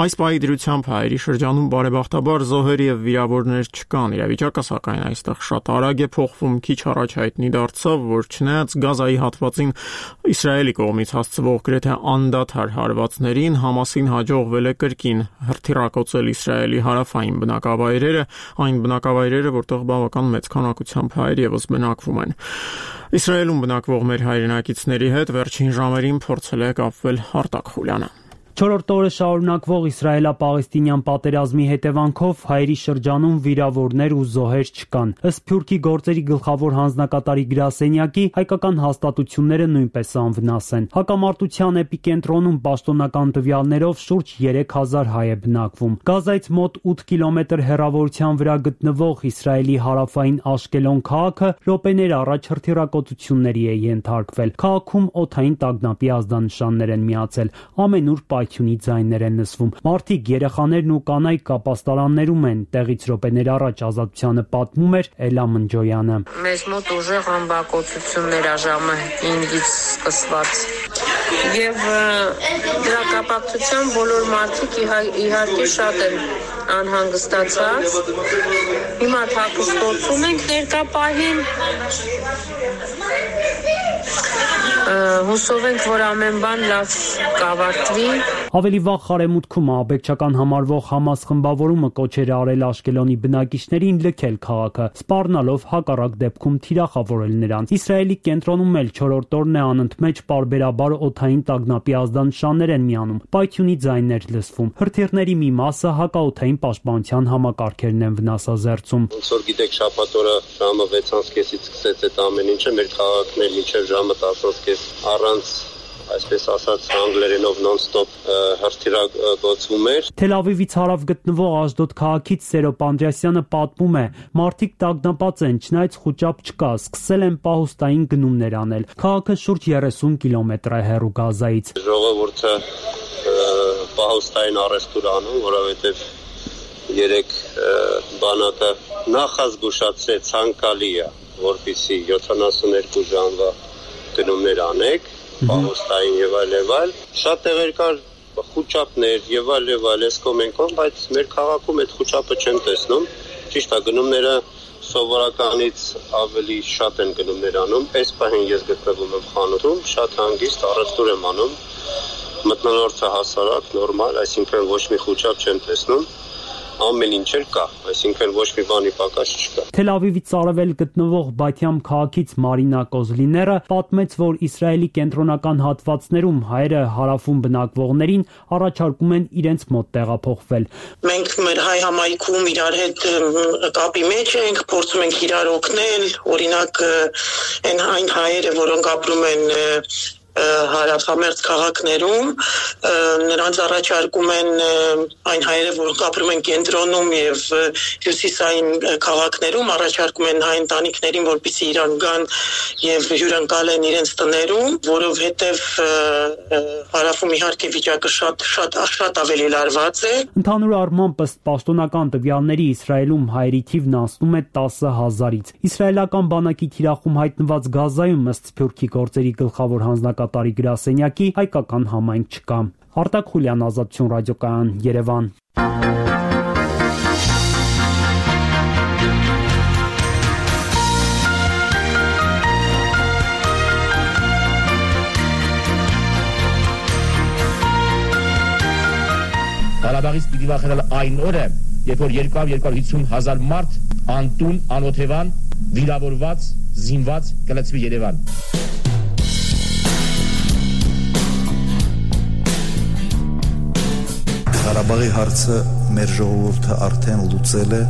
Այս պահի դրությամբ հայերի շրջանում բարեբախտաբար զոհեր եւ վիրավորներ չկան։ Իրավիճակը սակայն այստեղ շատ արագ է փոխվում։ Քիչ առաջ հայտնի դարձավ, որ չնայած Գազայի հատվածին Իսրայելի կողմից հասցվող գրեթե անդադար հարվածներին Համասին հաջողվել է կրկին հրթիռակոծել Իսրայելի հարավային բնակավայրերը, այն բնակավայրերը, որտեղ բավական մեծ քանակությամբ հայեր եւս բնակվում են։ Իսրայելում բնակվող մեր հայրենակիցների հետ վերջին ժամերին փորձել է կապվել Արտակ Խուլյանը։ Չորրորդ օրը շարունակվող իսրայելա-պաղեստինյան պատերազմի հետևանքով հայերի շրջանում վիրավորներ ու զոհեր չկան։ Ըստ Սփյուռքի գործերի գլխավոր հանձնակատարի գրասենյակի, հայկական հաստատությունները նույնպես անվնաս են։ Հակամարտության էպիկենտրոնում պաշտոնական տվյալներով շուրջ 3000 հայ է բնակվում։ Գազայից մոտ 8 կիլոմետր հեռավորության վրա գտնվող Իսրայելի հարավային Աշկելոն քաղաքը րոպեներ առաջ հրթիռակոծությունների է ենթարկվել։ Քաղաքում օդային տագնապի ազդանշաններ են միացել։ Ամենուր պայթյունի ձայներ են լսվում։ Մարդիկ, երեխաներն ու կանայք կապաստարաններում են։ Տեղից րոպեներ առաջ Ազատությանը պատմում էր Էլա Մնջոյանը։ Մեզ մոտ ուժեղ ամբակոծություններ ա ժամը 5-ից սկսված։ Եվ դրա կապակցությամբ բոլոր մարդիկ իհարկե շատ են անհանգստացած։ Հիմա թաքստոցում ենք ներկա պահին։ Հուսով ենք, որ ամեն բան լավ կավարտվի։ Ավելի վաղ Խարեմուտքում ահաբեկչական համարվող Համաս խմբավորումը կոչեր արել Աշկելոնի բնակիչներին լքել քաղաքը, սպառնալով հակառակ դեպքում թիրախավորել նրանց։ Իսրայելի կենտրոնում էլ չորրորդ օրն է անընդմեջ պարբերաբար օդային տագնապի ազդանշաններ են միանում, պայթյունի ձայներ լսվում։ Հրթիռների մի մասը հակաօդային պաշտպանության համակարգերն են վնասազերծում։ Ոնց որ գիտեք, շաբաթ օրը ժամը 6:30-ից սկսեց այդ ամեն ինչը, մեր քաղաքն էլ մինչև ժամը 10:30 առանց, այսպես ասած, անգլերենով non-stop հրթիռակոծվում էր։ Թել Ավիվից հարավ գտնվող Աշդոդ քաղաքից Սերոբ Անդրեասյանը պատմում է. մարդիկ տագնապած են, չնայած խուճապ չկա, սկսել են պահուստային գնումներ անել։ Քաղաքը շուրջ 30 կիլոմետր է հեռու Գազայից։ Ժողովուրդը պահուստային առևտուր անում, որովհետև երեք բանակը նախազգուշացրեց ցանկալի է, որպեսզի 72 ժամվա գնումներ անեք, պահուստային եւ այլ, շատ տեղեր կար խուճապներ եւ այլ, էսկոմենկով, բայց մեր քաղաքում այդ խուճապը չեմ տեսնում։ Ճիշտ է, գնումները սովորականից ավելի շատ են գնումներ անում։ Այս պահին ես գտնվում եմ խանութում, շատ հանգիստ առևտուր եմ անում։ Մթնոլորտը հասարակ, նորմալ, այսինքն ոչ մի խուճապ չեմ տեսնում։ Ամեն ինչ էլ կա, այսինքն ոչ մի բանի պակաս չկա։ Թել Ավիվից արևել գտնվող Բաթյամ քաղաքից Մարինա Կոզլիները պատմեց, որ Իսրայելի կենտրոնական հատվածներում հայերը հարավում բնակվողներին առաջարկում են իրենց մոտ տեղափոխվել։ Մենք մեր հայ համայնքում իրար հետ կապի մեջ ենք, փորձում ենք իրար օգնել, օրինակ այն հայերը, որոնք ապրում են հարավամերձ քաղաքներում, նրանց առաջարկում են այն հայերը, որոնք ապրում են կենտրոնում եւ հյուսիսային քաղաքներում, առաջարկում են հայ ընտանիքներին, որպեսզի իրար գան եւ հյուրընկալեն իրենց տներում, որովհետեւ հարավում իհարկե վիճակը շատ ավելի լարված է։ Ընդհանուր առմամբ ըստ պաշտոնական տվյալների Իսրայելում հայերի թիվն անցնում է 10,000-ից։ Իսրայելական բանակի թիրախում հայտնված Գազայում ըստ Սփյուռքի գործերի գլխավոր հանձնակատարի գրասենյակի հայկական համայնք չկա։ Արտակ Խուլյան, Ազատություն ռադիոկայան, Երևան։ Ղարաբաղից պիտի վախենալ այն օրը, երբ որ 250 հազար մարդ անտուն, անօթևան, վիրավորված, զինված կլցվի Երևան։ Ղարաբաղի հարցը մեր ժողովուրդը արդեն լուծել է։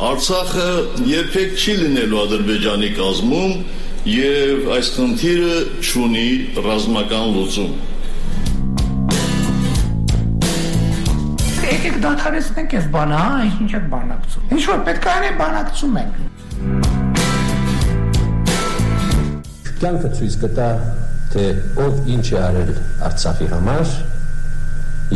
Արցախը երբեք չի լինելու Ադրբեջանի կազմում եւ այս խնդիրը չունի ռազմական լուծում։ Եկեք դադարեցնենք այս բանը, ինչ եք բանակցում։ Ինչ որ պետք է անենք, բանակցում ենք։ Կյանքը ցույց կտա, թե ով ինչ է արել Արցախի համար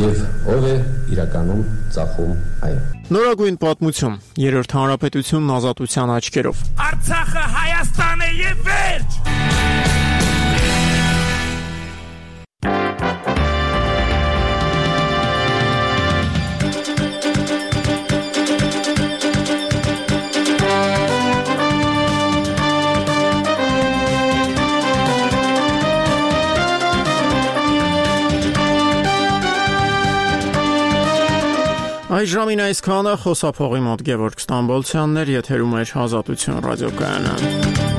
եւ ով է իրականում ծախում այն։ Նորագույն պատմություն, Երրորդ հանրապետությունն ազատության աչքերով։ Արցախը Հայաստան է եւ վերջ։ Այս ժամին այսքանը խոսափողի մոտ Գևորգ Ստամբոլցյանն էր, եթերում էր Ազատություն ռադիոկայանը։